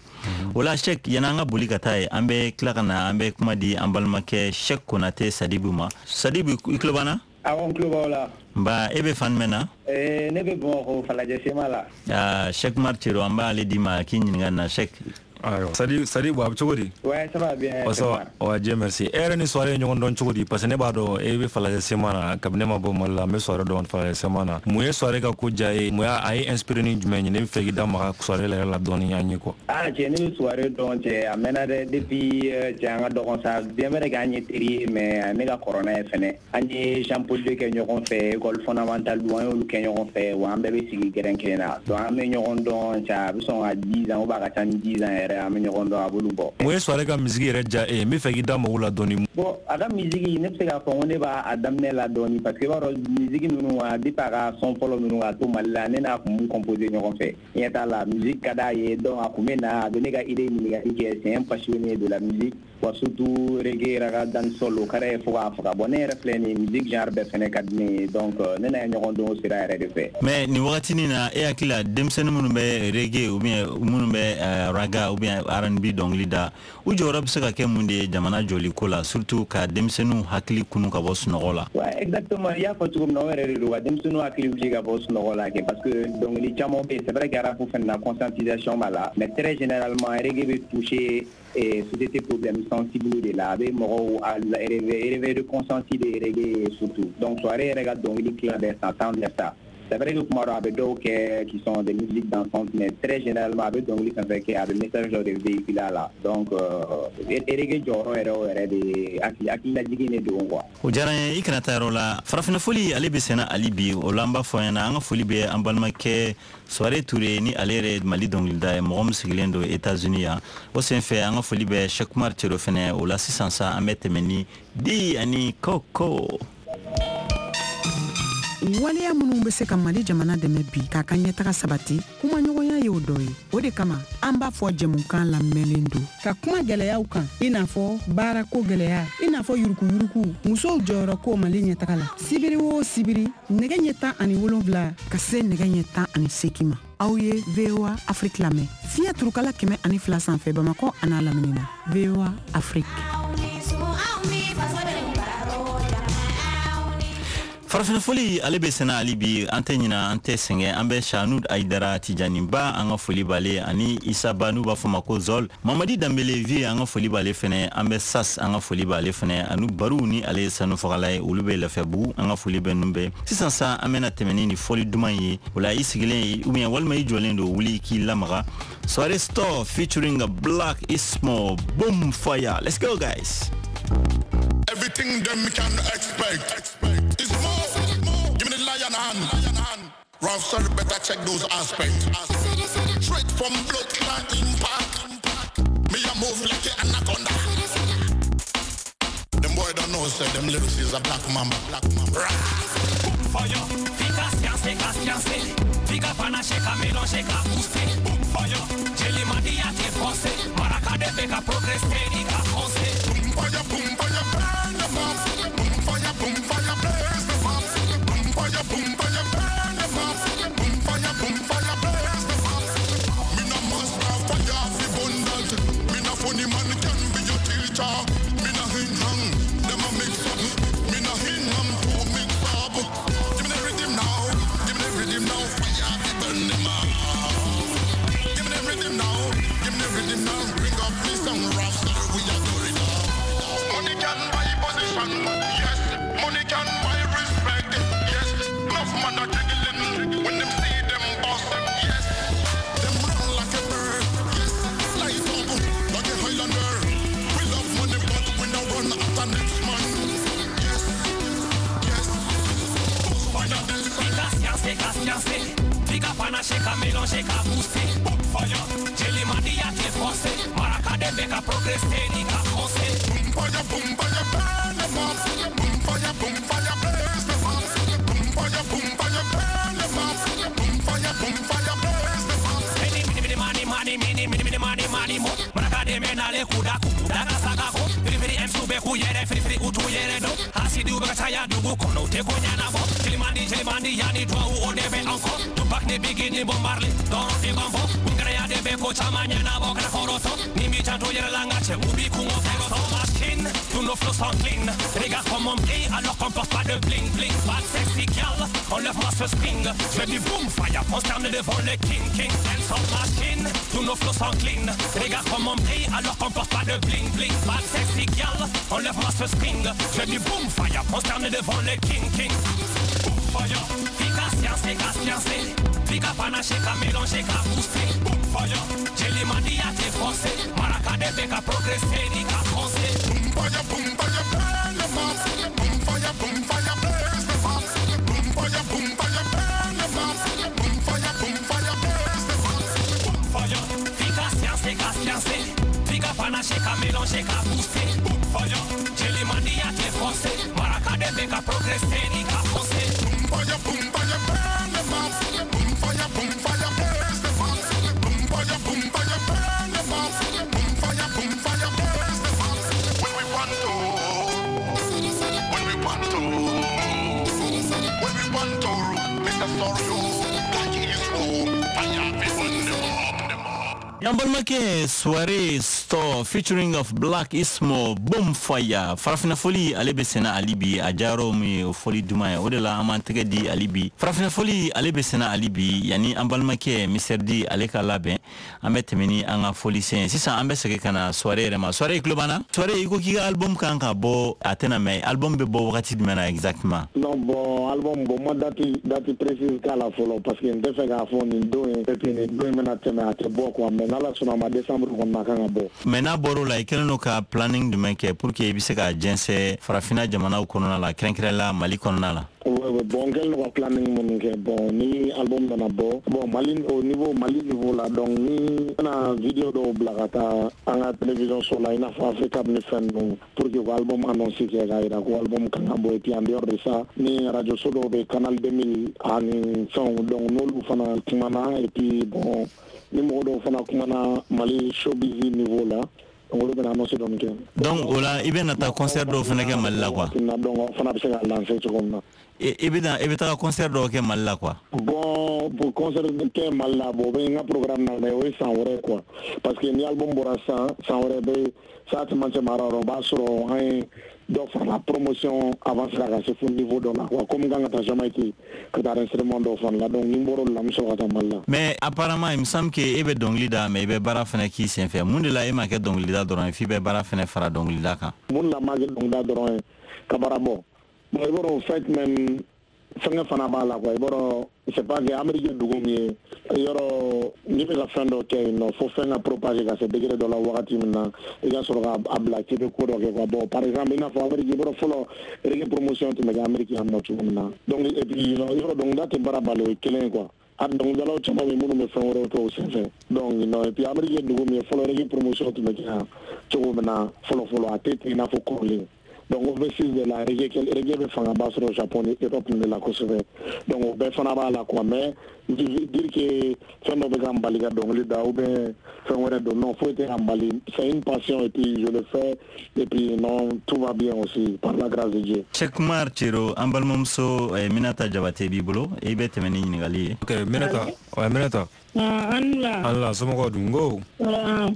O la Cheick, yanni an ka boli ka taa ye, an bɛ tila ka na an bɛ kuma di an balimakɛ Cheick Konate Sadibu ma. Sadibu, i tulo b'an na? Awɔ, n tulo b'aw la. Nba, e bɛ fan jumɛn na? Eh, ne bɛ Bamakɔ Falajɛ Sema la. Ah, Cheick Umar Cero, an b'ale d'i ma k'i ɲininka nin na Cheick. Ayiwa, Sadi Sadibu, a bɛ cogo di? Ouais, ça va bien. Oh, ça va. Ouais, Dieu merci. E yɛrɛ ni Soare ye ɲɔgɔn dɔn cogo di? Parce que ne b'a dɔn e bɛ Falajɛ Sema na, kabini ne ma bɔ Mali la, n bɛ Soare dɔn Falajɛ Sema na. Mun ye Soare ka ko diya ye? Mun y'a a ye inspiré ni jumɛn ye? Ne bɛ fɛ k'i da maga Soare yɛrɛ la dɔɔni an ye quoi. Ah, cɛ, ne bɛ Soare dɔn cɛ, a mɛnna dɛ, depuis cɛ an ka dɔgɔn sa, bien vrai que an ye teri ye, mais ne ka kɔrɔ n'a ye fɛnɛ. An ye Jean Paul deux kɛ ɲɔgɔn fɛ, école fondamentale don, an y'olu kɛ ɲɔgɔn fɛ, wa an bɛɛ bɛ sigi gɛrɛn kelen na. Donc an bɛ ɲɔgɔn dɔn cɛ, a bɛ sɔn ka dix ans ou bien a ka ca ni dix ans yɛrɛ, an bɛ ɲɔgɔn dɔn, a b'olu bɔ. Mun ye Soare ka musique yɛrɛ diya e ye? N bɛ fɛ k'i da mago la dɔɔni. Bon, a ka musique, ne bɛ se k'a fɔ ko ne b'a daminɛ la dɔɔni, parce que i b'a dɔn musique ninnu, a depuis a ka son fɔlɔ ninnu k'a to Mali la, ne n'a kun b'u composer ɲɔgɔn fɛ. Ɲɛ t'a la, musique ka d'a ye, donc a kun bɛ na, a bɛ ne ka idée ɲininkali kɛ, c'est un passionné de la musique, wa surtout reggae, raga, dancehall, o ka d'a ye fo k'a faga. Bon, ne yɛrɛ filɛ nin ye, musique genre bɛɛ fɛnɛ ka di ne ye, donc ne n'a ye ɲɔgɔn dɔn o sira yɛrɛ de fɛ. Mais nin wagatinin na, e hakili la denmisɛnnin minnu bɛ reggae ou bien minnu bɛ raga ou bien R and B dɔnkili da, u jɔyɔrɔ bɛ se ka kɛ mun de ye jamana jɔli ko la, surtout ka denmisɛnninw hakili kunu ka bɔ sunɔgɔ la? Ouais, exactement, i y'a fɔ cogo min na, o yɛrɛ de don, ka denmisɛnninw hakili wuli ka bɔ sunɔgɔ la kɛ, parce que dɔnkili caman bɛ yen, c'est vrai que rap fɛnɛ na conscientisation b'a la, mais très généralement reggae bɛ toucher et société problème sensible de la, a bɛ mɔgɔw réveil de conscience de reggae surtout. Donc Soare yɛrɛ ka dɔnkili tila bɛɛ ça tend vers ça. C'est vrai que kuma dɔ a bɛ dɔw kɛ qui sont des musiques dansantes, mais très généralement a bɛ dɔnkili fɛn fɛn kɛ, a bɛ message dɔ de véhiculer a la. Donc reggae jɔyɔrɔ yɛrɛ o yɛrɛ de hakililajigin de don quoi. O diyara n ye, i kana taa yɔrɔ la. Farafinna foli ale bɛ senna hali bi, o la an b'a fɔ an ɲɛna, an ka foli bɛ an balimakɛ Soare Toure ni ale yɛrɛ Mali dɔnkilida ye, mɔgɔ min sigilen don États-Unis yan. O senfɛ an ka foli bɛ Cheick Umar Cero fɛnɛ. O la sisan sa an bɛ tɛmɛ ni Di ani Koko. Waleya minnu bɛ se ka Mali jamana dɛmɛ bi k'a ka ɲɛtaga sabati, kumaɲɔgɔnya y'o dɔ ye. O de kama an b'a fɔ jɛmukan lamɛnlen don ka kuma gɛlɛyaw kan, i n'a fɔ baarako gɛlɛya, i n'a fɔ yurukuyuruku, musow jɔyɔrɔ ko Mali ɲɛtaga la. Sibiri o sibiri, nɛgɛ ɲɛ tan ani wolonwula ka se nɛgɛ ɲɛ tan ani seegin ma, aw ye V O A Afrique lamɛn fiɲɛ turukala kɛmɛ ani fila sanfɛ Bamakɔ an'a lamini na. V O A Afrique. Farafinna foli ale bɛ senna hali bi, an tɛ ɲina, an tɛ sɛgɛn, an bɛ Sanud Ayidara Tijaniba, an ka foli b'ale, ani Isa Ba n'u b'a fɔ ma ko Zol, Mamadi Danbele vie, an ka foli b'ale fɛnɛ, an bɛ Sas, an ka foli b'ale fɛnɛ, ani Baru ni ale ye sanu fagala ye, olu bɛ Lafiyabugu, an ka foli bɛ ninnu bɛɛ. Sisan sa an bɛna tɛmɛ ni nin fɔli duman ye, o la i sigilen ou bien walima i jɔlen don, wuli k'i lamaga. Soare Store featuring a Black Ismo, Boom Fire. Let's go guys. Everything them can expect. It's more. Give me the lion hand. Lion hand. Ralph, sorry, better check those aspects. Straight from blood clot impact. Me a move like an anaconda. Them boy don't know, say them lyrics is a black mamba. Black mamba. Boom fire. Fika science, ka science. Fika panache, ka mélange, ka poussé. Boom fire. Jelly madi a te français. Maraka de ka progresser, ni ka français. Boom fire, boom fire, burn the bomb. Boom fire, boom fire, blaze the bomb. Boom fire, boom fire, burn the bomb. Boom fire, boom fire, blaze the bomb. Me no master fire fi bundles. Me no funny man can be your teacher. Me no hin hang, them a mix up. Me no hin hang to mix up. Give me the rhythm now, give me the rhythm now. Fire fi burn them up. Give me the rhythm now, give me the rhythm now. Bring up me some rough, we are doing it. Money can buy position, yes. Money can buy respect, yes. Enough man are jiggling when them see them boss, yes. Them run like a bird, yes. Light up like a Highlander. We love money, but we don't run after next man, yes, yes. Fika science, ka science. Fika panache, ka mélange, ka poussé. Boom fire. Jelly madi a te français. Maraka de ka progresser, ni ka français. Boom fire, boom fire, burn the bomb. Boom fire, boom fire, blaze the bomb. Boom fire, boom fire, burn the bomb. Boom fire, boom fire, blaze the bomb. Any bɛ k'u yɛrɛ firifiri u t'u yɛrɛ dɔn hasidiw bɛ ka caya dugu kɔnɔ u tɛ ko ɲɛnabɔ Jelimandi jelimandi yanni duwawu o de bɛ an kɔ Tupac ni Biggie ni Bob Marley dɔrɔn de b'an fɔ Kungaraya de bɛ ko caman ɲɛnabɔ kana kɔrɔtɔ ni m'i janto yɛrɛ la n ka cɛ u b'i kungo fɔlɔtɔ machine tous nos flots sont clean regarde comme on brille alors qu'on porte pas de bling bling bad sexy girl enlève-moi ce string je fais du boom fire prosterne devant le king king sans machine tous nos flots sont clean regarde comme on brille alors qu'on porte pas de bling bling bad sexy girl enlève-moi ce string je fais du boom fire prosterne devant le king king boom fire fika science ka science fika panache ka mélanger ka pousser boom fire Jelimandi a t'es français Maraka de bɛ ka progresser ni ka français boom fire boom fire burn the mob boom fire boom fire blaze the mob boom fire boom fire burn the mob boom fire boom fire blaze the mob boom fire fika science ka science fika panache ka mélanger ka pousser boom fire Jelimandi a t'es français Maraka de bɛ ka progresser ni ka français boom fire boom fire burn the mob boom fire boom fire blaze the mob boom fire boom fire burn the mob boom fire boom fire blaze the mob when we want to when we want to when we want to Mister Sorio like is home fire people them up them up Yan balimakɛ Soirée Store featuring of Black Ismo Boom Fire Farafina foli ale bɛ senna ali bi a jayɔrɔ min ye o foli duman ye o de la an b'an tɛgɛ di ali bi Farafina foli ale bɛ senna ali bi yanni an balimakɛ Mister D ale ka labɛn an bɛ tɛmɛ ni an ka foli sen ye sisan an bɛ segin ka na Soirée yɛrɛ ma Soirée i tulo b'an na Soirée i ko k'i ka album kan ka bɔ a tɛna mɛn album bɛ bɔ wagati jumɛn na exactement non bon album bon ma date date précise k'a la fɔlɔ parce que n tɛ fɛ k'a fɔ nin don ye et puis nin don in bɛna tɛmɛ a tɛ bɔ quoi mais n'ala sɔnna a ma décembre kɔnɔna kan ka bɔ mais n'a bɔr'o la i kɛlen don ka planning jumɛn kɛ pour que i bɛ se ka jɛnsɛn farafinna jamanaw kɔnɔna la kɛrɛnkɛrɛn la Mali kɔnɔna la Ouais, ouais, bon, n kɛlen don ka planning minnu kɛ bon ni album nana bɔ bon Mali au niveau Mali niveau la donc ni n bɛna vidéo dɔw bila ka taa an ka télévision so la i n'a fɔ Africable ni fɛn ninnu pour que u ka album annonce kɛ k'a yira ko album kan ka bɔ et puis en dehors de ça ni radio so dɔw bɛ Canal deux mille ani fɛnw donc n'olu fana kumana et puis bon ni mɔgɔ dɔw fana kumana Mali showbiz niveau la donc olu bɛna annonce dɔɔni kɛ donc o la i bɛ na taa concert dɔw fana kɛ Mali la quoi donc o fana bɛ se ka lancer cogo min na i bɛ i bɛ taga concert dɔw kɛ Mali la quoi bon pour concert kɛ Mali la bon o bɛ n ka programme na mais o ye san wɛrɛ quoi parce que ni album bɔra san san wɛrɛ bɛ sa cɛmancɛ mara yɔrɔ o b'a sɔrɔ an ye dɔ farala promotion avancé la ka se fo niveau dɔ la quoi comme n kan ka taa Jamaïque ka taa enregistrement dɔw fana la donc ni n bɔra o la n bɛ sɔrɔ ka taa Mali la mais apparemment il me semble que e bɛ dɔnkili da mais i bɛ baara fana k'i senfɛ mun de la e ma kɛ dɔnkilida dɔrɔn ye f'i bɛ baara fana fara dɔnkilida kan mun de la n ma kɛ dɔnkilida dɔrɔn ye ka baara bɔ bon i b'a dɔn au fait même fɛngɛ fana b'a la quoi i b'a dɔn c'est pas que Amérique ye dugu min ye yɔrɔ n'i bɛ ka fɛn dɔ kɛ yen nɔ fo fɛn ka propager ka se degré dɔ la wagati min na i ka sɔrɔ ka a bila k'i bɛ ko dɔ kɛ quoi bon par exemple i n'a fɔ Amérique i b'a dɔn fɔlɔ reggae promotion tun bɛ kɛ Amérique yan nɔ cogo min na donc et puis yɔrɔ dɔnkilida tɛ baara bali o ye kelen ye quoi a dɔnkilidalaw caman bɛ yen minnu bɛ fɛn wɛrɛw kɛ o senfɛ donc non et puis Amérique ye dugu min ye fɔlɔ reggae promotion tun bɛ kɛ yan cogo min na fɔlɔ fɔlɔ a tɛ ten i n'a fɔ kɔrɔlen donc overseas de la reggae reggae bɛ fangaba sɔrɔ Japon ni Europe de la kosɛbɛ donc o bɛɛ fana b'a la quoi mais dire que fɛn dɔ bɛ ka n bali ka dɔnkili da ou bien fɛn wɛrɛ don non foyi tɛ ka n bali c'est une passion et puis je le fais et puis non tout va bien aussi par la grâce de Dieu. Cheikh Umar Cero an balimamuso eh, Minata Jabate b'i bolo i bɛ tɛmɛ ni ɲininkali ye. Ok Minata ouais Minata. An la. An la somɔgɔw dun ko.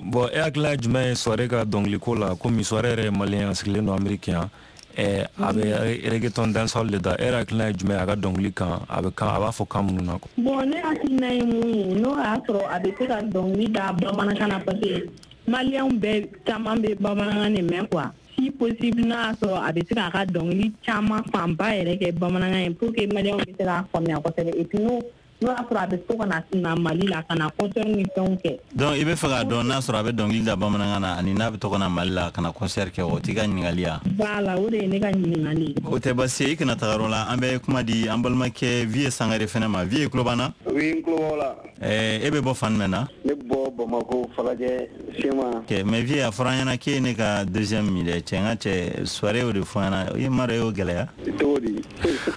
Bon e hakilina ye jumɛn ye Soirée ka dɔnkiliko la komi Soirée yɛrɛ ye malien a sigilen don Amérique yan ɛ a bɛ reggaeton dancehall de da e yɛrɛ hakilina ye jumɛn ye a ka dɔnkili kan a bɛ kan a b'a fɔ kan minnu na quoi. Bon ne hakilina ye mun ye n'o y'a sɔrɔ a bɛ se ka dɔnkili da bamanankan na parce que maliyɛnw bɛɛ caman bɛ bamanankan de mɛn quoi si possible n'a y'a sɔrɔ a bɛ se k'a ka dɔnkili caman fanba yɛrɛ kɛ bamanankan ye pour que maliyɛnw bɛ se k'a faamuya kosɛbɛ et puis n'o n'o y'a sɔrɔ a bɛ to ka na na Mali la ka na concert ni fɛnw kɛ. Donc i bɛ fɛ k'a dɔn n'a sɔrɔ a bɛ dɔnkili da bamanankan na ani n'a bɛ to ka na Mali la ka na concert kɛ o t'i ka ɲininkali ya. Voilà o de ye ne ka ɲininkali ye. O tɛ baasi ye i kana taga yɔrɔ la an bɛ kuma di an balimakɛ Vieux Sangare fɛnɛ ma Vieux tulo b'an na. Oui n tulo b'aw la. Ɛɛ e bɛ bɔ fan jumɛn na. Ne bɔ Bamakɔ Falajɛ Sema. Ok mais Vieux a fɔra an ɲɛna k'e ye ne ka deuxième min dɛ cɛ n ka cɛ soirée o de fɔ an ɲɛna i m'a dɔn e y'o gɛlɛya. Cogo di.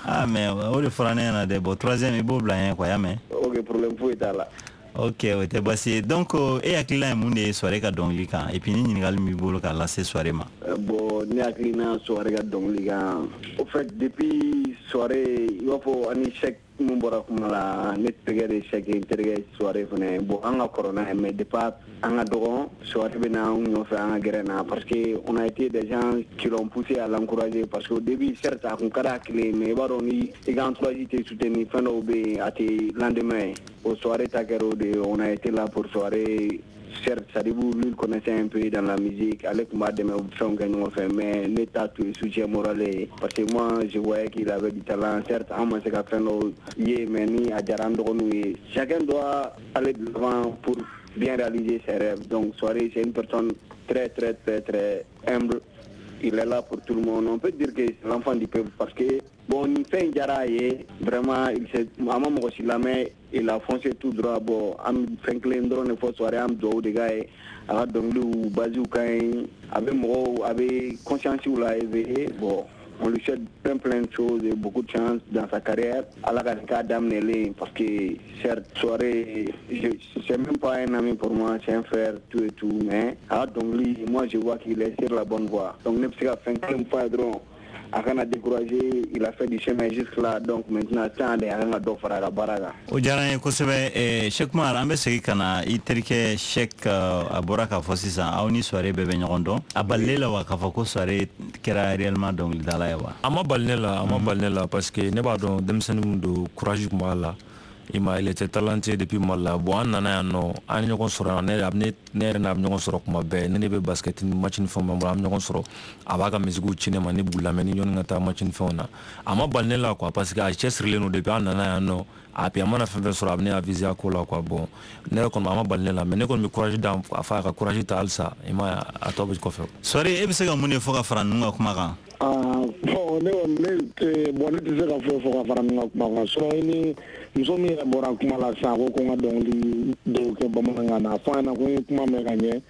Ah mais o de fɔra ne ɲɛna dɛ bon troisième i b'o bila n ɲɛ quoi y'a mɛn. Ok problème foyi t'a la. Ok o tɛ baasi ye donc e hakilina ye mun de ye soirée ka dɔnkili kan et puis ni ɲininkali min b'i bolo k'a lase soirée ma. Bon, ne hakilina Souaré ka dɔnkili kan, au fait, depuis Souaré, i b'a fɔ ani Cheick mun bɔra kuma la, ne terikɛ de Cheick ye, n terikɛ Souaré fɛnɛ. Bon, an ka kɔrɔ n'a ye, mais depuis an ka dɔgɔn, Souaré bɛ na anw nɔfɛ an ka gɛrɛn na, parce que on a été des gens qui l'ont poussé à l'encourager, parce qu'au début, certes, a kun ka d'a kelen ye, mais i b'a dɔn ni i ka entourage tɛ soutenir, fɛn dɔw bɛ yen a tɛ lendemain ye. O Souaré ta kɛra o de ye, on a été là pour Souaré. Certes, Sadibou, lui, il connaissait un peu dans la musique, ale tun b'a dɛmɛ fɛnw kɛ ɲɔgɔn fɛ, mais ne ta tun ye soutien moral ye, parce que moi, je voyais qu'il avait du talent. Certes, an ma se ka fɛn dɔw ye, mais ni a diyara an dɔgɔninw ye, chacun doit aller de l'avant pour bien réaliser ses rêves. Donc Souaré, c'est une personne très très très très humble. Il est là pour tout le monde. On peut dire que c'est l'enfant du peuple, parce que bon, ni fɛn diyara a ye, vraiment, il s'est a ma mɔgɔ si lamɛn, il a foncé tout droit. Bon, an bɛ fɛn kelen dɔrɔn de fɔ Souaré, an bɛ dugawu de k'a ye. A ka dɔnkiliw basiw ka ɲi, a bɛ mɔgɔw, a bɛ conscience la éveiller. Bon, on lui souhaite plein plein de choses et beaucoup de chance dans sa carrière. Ala ka nin k'a daminɛlen, parce que certes, Souaré, c'est même pas un ami pour moi, c'est un frère, tout et tout, mais a ka dɔnkili, moi je vois qu'il est sur la bonne voie. Donc ne bɛ se ka fɛn kelen fɔ a ye dɔrɔn, a kana décourager, il a fait du chemin jusque là, donc maintenant temps de a kan ka dɔ fara a ka baara kan. O diyara n ye kosɛbɛ. eh, Cheick Umar, an bɛ segin ka na i terikɛ Cheick. A bɔra k'a fɔ sisan aw ni Souaré bɛɛ bɛ ɲɔgɔn dɔn. A balile la wa k'a fɔ ko Souaré kɛra réellement dɔnkilidala ye wa? A ma bali ne la, a ma bali ne la, parce que ne b'a dɔn denmisɛnnin min don, courage tun b'a la. I ma, il était talentueux depuis Mali la. Bon, an nana yan nɔ, an ye ɲɔgɔn sɔrɔ yan. Ne ne ne yɛrɛ n'a bɛ ɲɔgɔn sɔrɔ kuma bɛɛ. Ne ne bɛ basket ni match ni fɛnw b'an bolo, an bɛ ɲɔgɔn sɔrɔ. A b'a ka musique ci ne ma, ne b'u lamɛn ni ɲɔni ka taa match ni fɛnw na. A ma bali ne la quoi, parce que a cɛsirilen don depuis an nana yan nɔ. A puis a mana fɛn fɛn sɔrɔ, a bɛ ne aviser a ko la quoi. Bon, ne yɛrɛ kɔni, a ma bali ne la, mais ne kɔni bɛ courage d'a a fa, a ka courage ta halisa. I ma, a tɔ bɛ kɔfɛ. Souaré, e bɛ se ka mun de fɔ ka fara ninnu ka kuma kan? Ah, bon, ne kɔni ne bon, ne tɛ se ka foyi fɔ ka fara ninnu ka kuma kan. Sinon, i ni muso min yɛrɛ bɔra kuma la sisan, ko ko n ka dɔnkili dɔw kɛ bamanankan na, a fɔ an ɲɛna ko n ye kuma mɛn ka ɲɛ,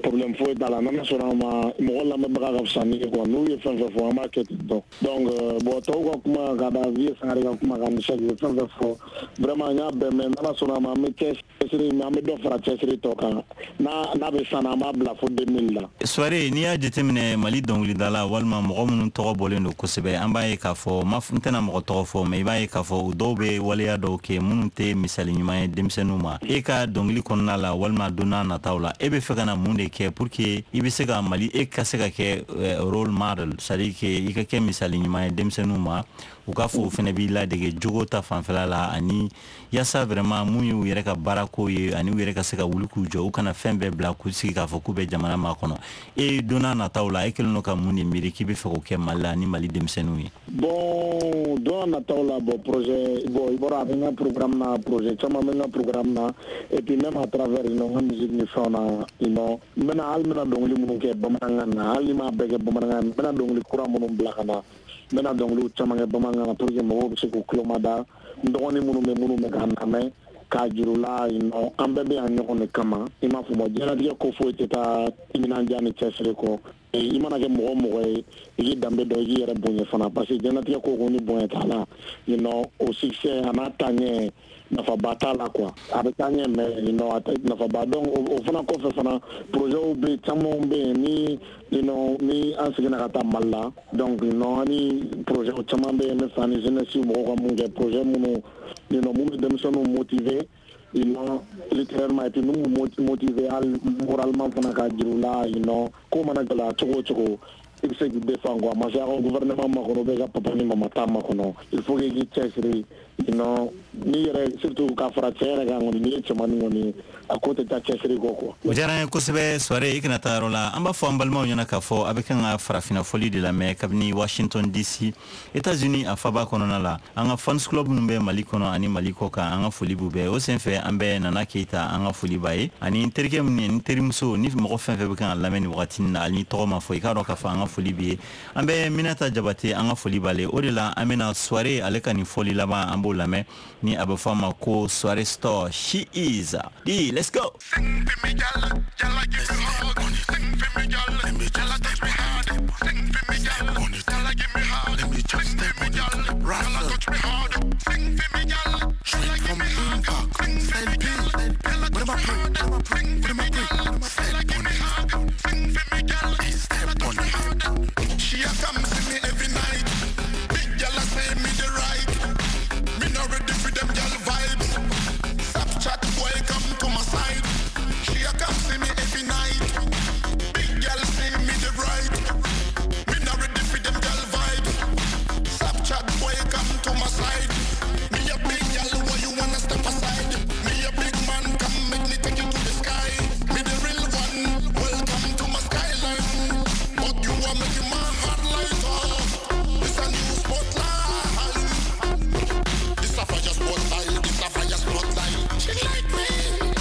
problème foyi t'a la. N'ala sɔnna a ma, mɔgɔ lamɛnbaga ka fisa ni ye quoi. N'u ye fɛn fɛn fɔ, an b'a kɛ ten tɔ. Donc bon, tɔw ka kuma ka da Vieux Sangare ka kuma kan ni Cheick ye fɛn fɛn fɔ, vraiment n y'a bɛɛ mɛn. N'ala sɔnna a ma, an bɛ cɛsiri, an bɛ dɔ fara cɛsiri tɔ kan. N'a n'a bɛ san na, an b'a bila fo deux mille la. Souaré, n'i y'a jateminɛ Mali dɔnkilidala walima mɔgɔ minnu tɔgɔ bɔlen don kosɛbɛ, an b'a ye k'a fɔ, ma n tɛna mɔgɔ tɔgɔ fɔ, mais i b'a ye k'a fɔ u dɔw bɛ waleya dɔw kɛ minnu tɛ misali ɲuman ye denmisɛnninw ma. E ka dɔnkili kɔnɔna la walima don n'a nataw la, e bɛ fɛ ka na mun de kɛ pour que i bɛ se ka Mali, e ka se ka kɛ role model, c'est à dire que i ka kɛ misali ɲuman ye denmisɛnninw ma, u k'a fɔ o fana b'i ladege jogo ta fanfɛla la, ani yaasa vraiment mun y'u yɛrɛ ka baarako ye, ani u yɛrɛ ka se ka wuli k'u jɔ, u kana fɛn bɛɛ bila k'u sigi k'a fɔ k'u bɛ jamana makɔnɔ. E don n'a nataw la, e kɛlen don ka mun de miiri k'i bɛ fɛ k'o kɛ Mali la ni Mali denmisɛnninw ye? Bon, don n'a nataw la, bon, projet, bon, i bɔra a bɛ n ka programme na, projet caman bɛ n ka programme na, et puis même à travers you know, n ka musique ni fɛnw na, you know, n bɛna hali n bɛna dɔnkili minnu kɛ bamanankan na, hali ni m'a bɛɛ kɛ bamanankan na, n bɛna dɔnkili kura minnu bila ka na, n bɛna dɔnkiliw caman kɛ bamanankan na pour que mɔgɔw bɛ se k'u tulo mada. N dɔgɔnin minnu bɛ minnu bɛ k'an lamɛn, k'a juru la, you know, an bɛɛ bɛ yan ɲɔgɔn de kama. I m'a fɔ, diɲɛlatigɛ ko foyi tɛ taa timinandiya ni cɛsiri kɔ. I mana kɛ mɔgɔ mɔgɔ ye, i k'i danbe dɔn, i k'i yɛrɛ bonya fana, parce que diɲɛlatigɛ ko ko ni bonya t'a la, you know, o succès a n'a taaɲɛ nafaba t'a la quoi. A bɛ taa ɲɛ, mais you know, a tɛ nafaba. Donc o fana kɔfɛ fana, projet bɛ caman bɛ yen ni you know, ni an seginna ka taa Mali la. Donc you know, ani projet caman bɛ yen, ne fɛ ani jeunesse mɔgɔw ka mun kɛ, projet minnu you know, mun bɛ denmisɛnninw motiver, you know, littéralement, et puis mun b'u motiver hali moralement fana, k'a jira u la, you know, ko mana gɛlɛya cogo o cogo, i bɛ se k'i défend quoi. Ma se a ka gouvernement makɔnɔ, bɛ ka papa ni mama ta makɔnɔ, il faut que i k'i cɛsiri, you know, n'i yɛrɛ, surtout k'a fara cɛ yɛrɛ kan kɔni, n'i ye cɛmannin kɔni, a ko tɛ taa cɛsiri kɔ quoi. O diyara n ye kosɛbɛ. Souaré, i kana taa yɔrɔ la. An b'a fɔ an balimaw ɲɛna k'a fɔ a bɛ kan ka farafinna fɔli de lamɛn kabini Washington D C, États-Unis a faba kɔnɔna la. An ka fans club minnu bɛ Mali kɔnɔ ani Mali kɔ kan, an ka foli b'u bɛɛ. O senfɛ, an bɛ Nana Keyita, an ka foli b'a ye, ani n terikɛ minnu ye, n terimuso ni mɔgɔ fɛn fɛn bɛ kan ka lamɛn nin wagati in na, hali ni tɔgɔ ma fɔ, i k'a dɔn k'a fɔ an ka foli b'i ye. An bɛ Minata Jabate, an ka foli b'ale. O de la, an bɛna Souaré ale ka nin fɔli laban, an b'o lamɛn ni a bɛ fɔ a ma ko Souaré Store. She is D, let's go. Sing for me, gal, gal, give me hug. Sing for me, gal, gal, touch me hard. Sing for me, gal, gal, give me hard. Sing for me, gal, gal, touch me hard. Sing for me, gal, gal, give me hug. Sing for me, gal, gal, touch me hard. Sing for me, gal, gal, give me hug. Sing for me, gal, gal, touch me hard. She a come see me every night. Big gal a say me the right. Me not ready for them gal vibes. Snapchat boy come to my side. She a come see me every night. Big gal say me the right. Me not ready for them gal vibes. Snapchat boy come to my side. Me a big gal, why you wanna step aside? Me a big man, come make me take you to the sky. Me the real one, welcome to my skyline. But you are making my heart light up. This a new spotlight. This a fire spotlight. This a fire spotlight. She like me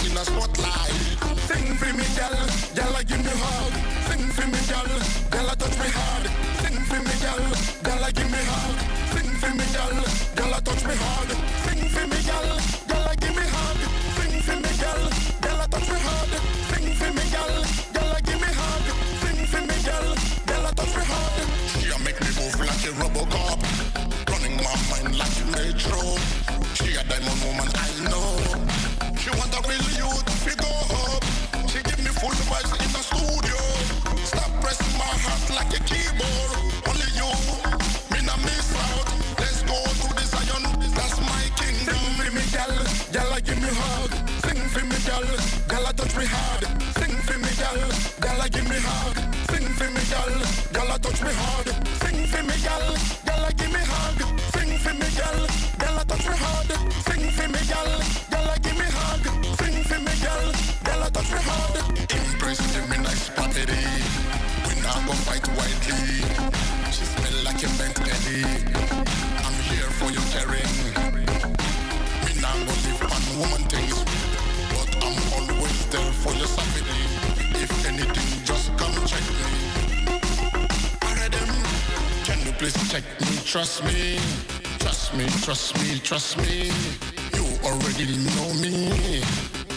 in a spotlight. Sing for me, gal, gal, give me hug. Sing for me, gal, gal, touch me hard. Sing for me, gal, gal, give me hug. Sing for me, gal, gal, touch me hard. Sing for me, gal, gal, give me hug. Sing for me, gal, gal, touch me hard. Sing for me, gal, gal, give me hug. Sing for me, gal, gal, touch me hard. She a make me move like a Robocop, running my mind like a metro. She a diamond woman, I know. She want a real youth to go up. She give me full vibes in the studio. Stop pressing my heart like a keyboard. Only you, me not miss out. Let's go to the Zion, that's my kingdom. Sing for me, gal, gal, give me hug. Sing for me, gal, gal, touch me hard. Sing for me, gal, gal, give me hug. Sing for me, gal, gal, touch me hard. Sing for me, gal, gal, give me hug. Sing for me, gal, gal, touch me hard. Sing for me, gal, gal, give me hug. Sing for me, gal, gal, touch me hard. Embrace give me nice property. We not go fight widely. She smell like a bent Eddie. I'm here for your caring. Me not go live on woman things, but I'm always there for your safety. If anything, just come check me. Them. Can you please check me? Trust me, trust me, trust me, trust me. You already know me.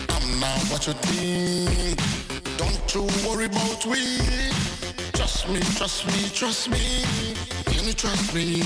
I'm not what you think. Don't you worry about we. Trust me, trust me, trust me. Can you trust me?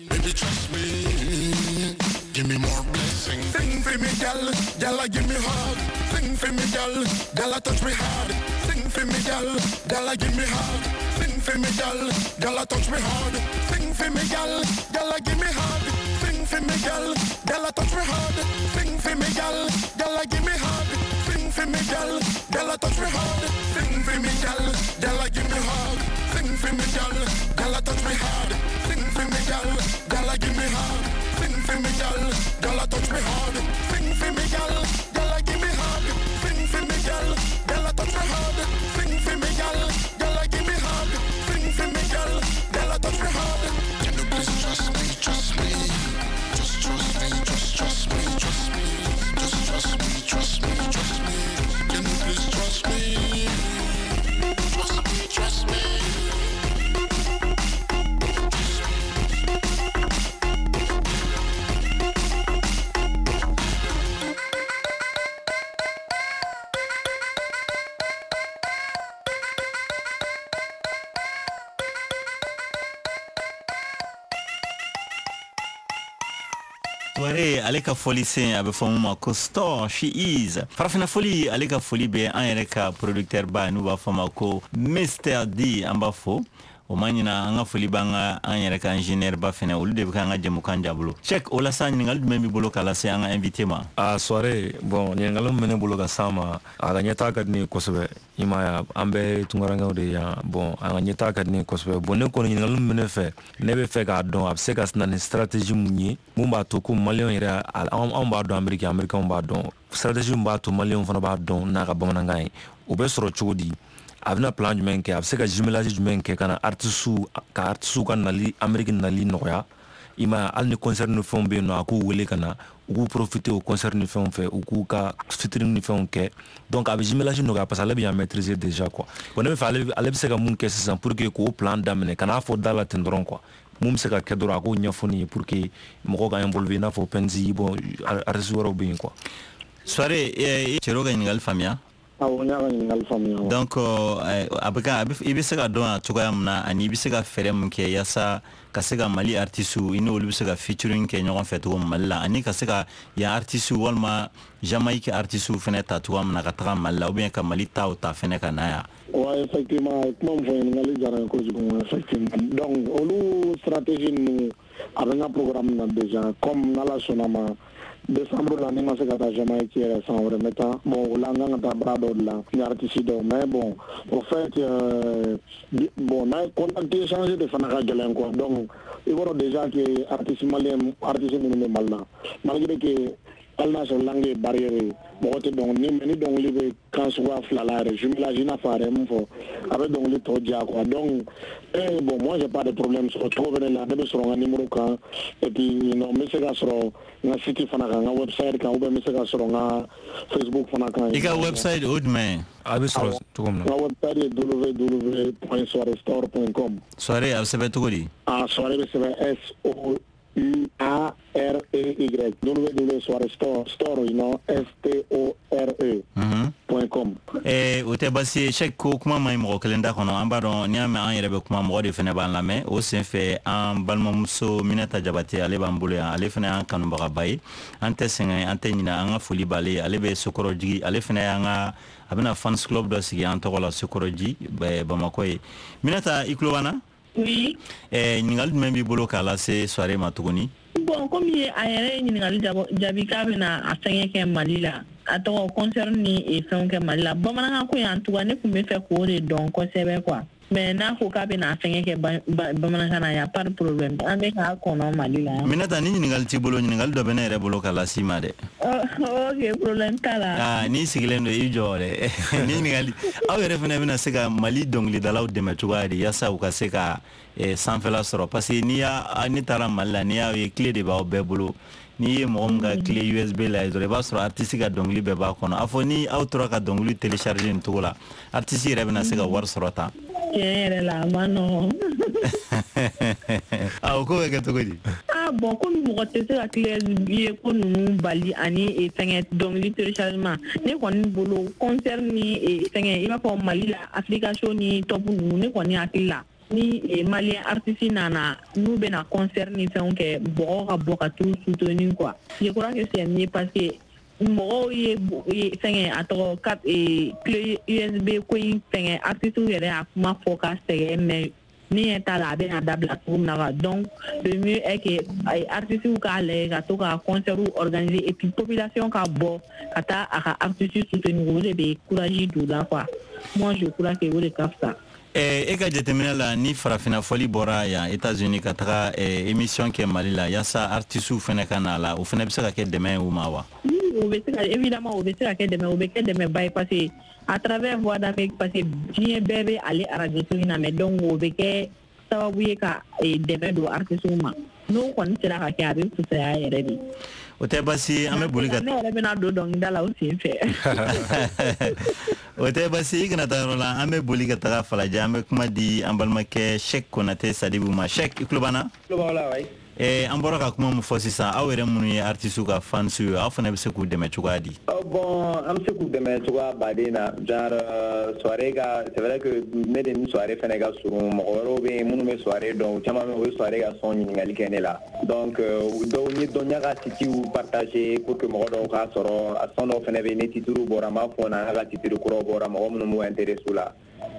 Baby, trust me. Give me more blessings. Sing for me, gal, gal, give me hug. Sing for me, gal, gal, touch me hard. Sing for me, gal, gal, give me hug. Sing for me, gal, gal, touch me hard. Sing for me, gal, gal, give me hug. Sing for me, gal, gal, touch me hard. Sing for me, gal, gal, give me hug. Sing for me, gal, gal, touch me hard. Sing for me, gal, gal, give me hug. Sing for me, gal, gal, touch me hard. Sing for me, gal, gal, give me hug. Sing for me, gal, gal, touch me hard. Sing for me, gal, gal, give me hug. Sing for me, gal, gal, touch me hard. Sing for me, gal, gal, give me hug. Sing for me, gal, gal, touch me hard. Can you please trust me, trust me? Just trust me, just trust me, trust me. Just trust me, trust me, trust me. Can you please trust me? Trust me, trust me. Touaré ale ka fɔli sen a bɛ fɔ mun ma ko Store She Is. Farafina fɔli ale ka foli bɛ an yɛrɛ ka producteur ba n'u b'a fɔ ma ko Mister D, an b'a fo. O ma ɲina an ka foli b'an ka an yɛrɛ ka ingénieur ba fɛnɛ, olu de bɛ k'an ka jɛmukan jabolo. Cheikh, o la sa ɲininkali jumɛn b'i bolo k'a lase an ka invité ma? A soirée, bon, ɲininkali min bɛ ne bolo ka s'a ma, a ka ɲɛtaa ka di ne ye kosɛbɛ. I m'a ye, an bɛɛ ye tunkarankew de ye yan. Bon, a ka ɲɛtaa ka di ne ye kosɛbɛ. Bon, ne kɔni ɲininkali min bɛ ne fɛ, ne bɛ fɛ k'a dɔn a bɛ se ka na ni stratégie mun ye, mun b'a to ko maliyɛnw yɛrɛ, anw b'a dɔn Amérique, américains b'a dɔn. Stratégie min b'a to maliyɛnw fana b'a dɔn n'a ka bamanankan ye, o bɛ sɔrɔ cogo di? A bɛna plan jumɛn kɛ, a bɛ se ka jumelage jumɛn kɛ ka na artiste ka artiste ka nali Amérique nali nɔgɔya? I m'a ye, hali ni concert ni fɛnw bɛ yen nɔ, a k'u wele ka na, u k'u profiter o concert ni fɛnw fɛ, u k'u ka featuring ni fɛnw kɛ. Donc a bɛ jumelage nɔgɔya parce que ale bɛ yan maîtriser déjà quoi. Bon, ne bɛ fɛ ale ale bɛ se ka mun kɛ sisan pour que k'o plan daminɛ, ka n'a fɔ da la ten dɔrɔn quoi. Mun bɛ se ka kɛ dɔrɔn a k'o ɲɛfɔ ne ye pour que mɔgɔw ka involver i n'a fɔ Penzi, bon, artiste wɛrɛw bɛ yen quoi. Soirée, i cɛrɛ ka ɲininkali faamuya. Awɔ, n y'a ka ɲininkali faamuya. Donc a bɛ ka i bɛ se ka dɔn a cogoya min na, ani i bɛ se ka fɛɛrɛ mun kɛ yaasa ka se ka Mali artistes i n'olu bɛ se ka featuring kɛ ɲɔgɔn fɛ cogo min Mali la, ani ka se ka yan artistes walima Jamaïque artistes fɛnɛ ta cogoya min na ka taga Mali la, ou bien ka Mali taw ta fɛnɛ ka na yan. Ouais, effectivement, kuma min fɔ, ɲininkali diyara n ye kojugu, effectivement. Donc olu stratégie ninnu a bɛ n ka programme na déjà, comme n'Ala sɔnna ma, décembre la, ni ma se ka taa Jamaïque yɛrɛ, san wɛrɛ n bɛ taa. Bon, o la n kan ka taa baara dɔw de la ni artiste dɔw, mais bon, au fait, euh, bon, n'a ye contact échanger de fana ka gɛlɛn quoi. Donc i b'a dɔn déjà que artiste malien, artiste minnu bɛ Mali la, malgré que hali n'a sɔrɔ langue ye barrière ye, mɔgɔ tɛ dɔnkili ni, mais ni dɔnkili bɛ kan suguya fila la yɛrɛ, jumelage, i n'a fɔ a yɛrɛ ye mun fɔ, a bɛ dɔnkili tɔ diya quoi. Donc eh, bon, moi j'ai pas de problème, sɔrɔ cogo bɛ ne la, ne bɛ sɔrɔ n ka numéro kan, et puis non, n bɛ se ka sɔrɔ n ka site fana kan, n ka website kan, ou bien n bɛ se ka sɔrɔ n ka Facebook fana kan. I ka website o jumɛn ye? A bɛ sɔrɔ cogo min na? N ka website ye w w w point soirestore point com. Soirée a bɛ sɛbɛn cogo di? Ah, soirée bɛ sɛbɛn S O U A R E Y, W W Soirée Store, store, you know, S T O R E point com. Eh, o tɛ baasi ye, Cheick. Ko kuma ma ɲi mɔgɔ kelen da kɔnɔ. An b'a dɔn, n'i y'a mɛn an yɛrɛ bɛ kuma, mɔgɔ de fɛnɛ b'an lamɛn. O sen fɛ, an balimamuso Minata Jabate, ale b'an bolo yan, ale fɛnɛ y'an kanubagaba ye. An tɛ sɛgɛn, an tɛ ɲinɛ, an ka foli b'ale ye. Ale bɛ Sokɔrɔjigi, ale fɛnɛ y'an ka, a bɛna fans club dɔ sigi an tɔgɔ la Sokɔrɔji, Bamakɔ ye. Minata, i tulo b'an na? Oui. Eh, ɲininkali jumɛn b'i bolo k'a lase Soirée ma tuguni? Bon, komi a yɛrɛ ye ɲininkali jaabi k'a bɛna a fɛngɛ kɛ Mali la, a tɔgɔ concert ni fɛnw kɛ Mali la, bamanankan ko in, en tout cas ne tun bɛ fɛ k'o de dɔn kosɛbɛ quoi. Mais n'a ko k'a bɛna a fɛngɛ kɛ bamanankan na, y a pas de problème, an bɛ k'a kɔnɔ Mali la. Minata, ni ɲininkali t'i bolo, ɲininkali dɔ bɛ ne yɛrɛ bolo ka las'i ma dɛ. Ok, problème t'a la. Ah, n'i sigilen don, i jɔ dɛ. Ni ɲininkali, aw yɛrɛ fana bɛna se ka Mali dɔnkilidalaw dɛmɛ cogoya di yaasa u ka se ka sanfɛla sɔrɔ? Parce que n'i y'a, ne taara Mali la, n'i y'a ye, clé de b'aw bɛɛ bolo. N'i ye mɔgɔ min ka clé U S B la dɔrɔn, i b'a sɔrɔ artiste ka dɔnkili bɛɛ b'a kɔnɔ. A fɔ ni aw tora ka dɔnkili télécharger nin cogo la, artiste yɛrɛ bɛna se ka wari sɔrɔ tan? Tiɲɛ yɛrɛ la, a ma nɔgɔn. Ah, o ko bɛ kɛ cogo di? Ah bon, komi mɔgɔ tɛ se ka clé U S B ko ninnu bali ani fɛngɛ dɔnkili téléchargement, ne kɔni bolo, concert ni fɛngɛ, i b'a fɔ Mali la application ni top ninnu, ne kɔni hakili la, ni malien artiste nana, n'u bɛna concert ni fɛnw kɛ, mɔgɔw ka bɔ ka t'u soutenir quoi. Je crois que c'est mieux, parce que mɔgɔw ye fɛngɛ, a tɔgɔ clé U S B ko in fɛngɛ, artiste yɛrɛ y'a kuma fɔ ka sɛgɛn, mais ne ɲɛ t'a la a bɛna dabila cogo min na quoi. Donc le mieux est que artistes k'a lajɛ ka to ka concert organiser, et puis population ka bɔ ka taa a ka artiste soutenir, o de bɛ courage don u la quoi. Moi je crois que o de ka fisa. E ka jateminɛ la, ni farafinna fɔli bɔra yan États-Unis ka taga émission kɛ Mali la yaasa artistes fɛnɛ ka na la, o fɛnɛ bɛ se ka kɛ dɛmɛ ye u ma wa? O bɛ se ka, évidemment, o bɛ se ka kɛ dɛmɛ, o bɛ kɛ dɛmɛba ye, parce que à travers Voix d'Amérique, parce que diɲɛ bɛɛ bɛ ale arajo so in na mɛ, donc o bɛ kɛ sababu ye ka dɛmɛ don artistes ma. N'o kɔni sera ka kɛ, a bɛ fisaya yɛrɛ de. O tɛ baasi ye, an bɛ boli ka Ne yɛrɛ bɛna don dɔnkilida la o sen fɛ. O tɛ baasi ye, i kana taa yɔrɔ la. An bɛ boli ka taga Falajɛ, an bɛ kuma di an balimakɛ Cheick Konate Sadibu ma. Cheick, i tulo b'an na? Tulo b'aw la, wayi. Eh, an bɔra ka kuma min fɔ sisan, aw yɛrɛ minnu ye artistes ka fans ye, aw fana bɛ se k'u dɛmɛ cogoya di? Bon, an bɛ se k'u dɛmɛ cogoya baden na, genre Soirée ka, c'est vrai que ne de ni Soirée fɛnɛ ka surun, mɔgɔ wɛrɛw bɛ yen minnu bɛ Soirée dɔn, u caman bɛ yen, u bɛ Soirée ka son ɲininkali kɛ ne la. Donc dɔw n ye dɔn, n y'a ka sitew partager pour que mɔgɔ dɔw k'a sɔrɔ. A son dɔw fɛnɛ bɛ yen, ni titre bɔra, n b'a fɔ n'a ka titre kuraw bɔra, mɔgɔ minnu b'u intéressé la.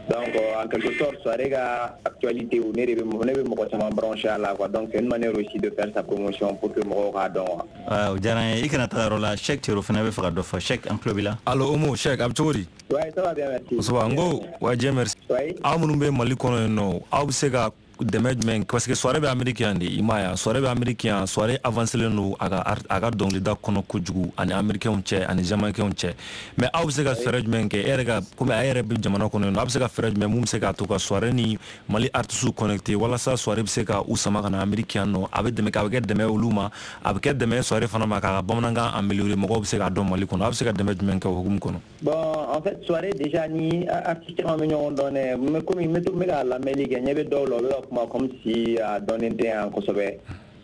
Donc en quelque sorte, Soirée ka actualité, ne de bɛ ne bɛ mɔgɔ caman branché a la quoi. Donc c'est une manière aussi de faire sa promotion pour que mɔgɔw k'a dɔn quoi. O diyara n ye. I kana taga yɔrɔ la, Cheick Cero fana bɛ fɛ ka dɔ fɔ. Cheick, an tulo b'i la. Allo Omo, Cheick, a bɛ cogo di? Ouais, ça va bien, merci. Kosɛbɛ, n ko wa, Dieu merci. Aw minnu bɛ Mali kɔnɔ yen nɔ, aw bɛ se ka dɛmɛ jumɛn? Parce que Soirée bɛ Amérique yan de, i m'a ye wa? Soirée bɛ Amérique yan, Soirée avancé len don a ka a ka dɔnkilida kɔnɔ kojugu, ani américains cɛ ani jamaïcains cɛ. Mais aw bɛ se ka fɛɛrɛ jumɛn kɛ, e yɛrɛ ka, komi a yɛrɛ bɛ jamana kɔnɔ yen nɔ, aw bɛ se ka fɛɛrɛ jumɛn mun bɛ se k'a to ka Soirée ni Mali artistes connecté, walasa Soirée bɛ se ka u sama ka na Amérique yan nɔ? A bɛ dɛmɛ, a bɛ kɛ dɛmɛ olu ma, a bɛ kɛ dɛmɛ Soirée fana ma k'a ka bamanankan améliorer, mɔgɔw bɛ se k'a dɔn Mali kɔnɔ. Aw bɛ se ka dɛmɛ jumɛn kɛ o hukumu kɔnɔ? Bon, en fait, Soirée déjà ni artiste caman bɛ ɲɔgɔn dɔn dɛ, mais komi n bɛ to n bɛ ka lamɛnli kɛ, ɲɛ bɛ dɔw la, u bɛ ka kuma comme si a dɔnnen tɛ yan kosɛbɛ.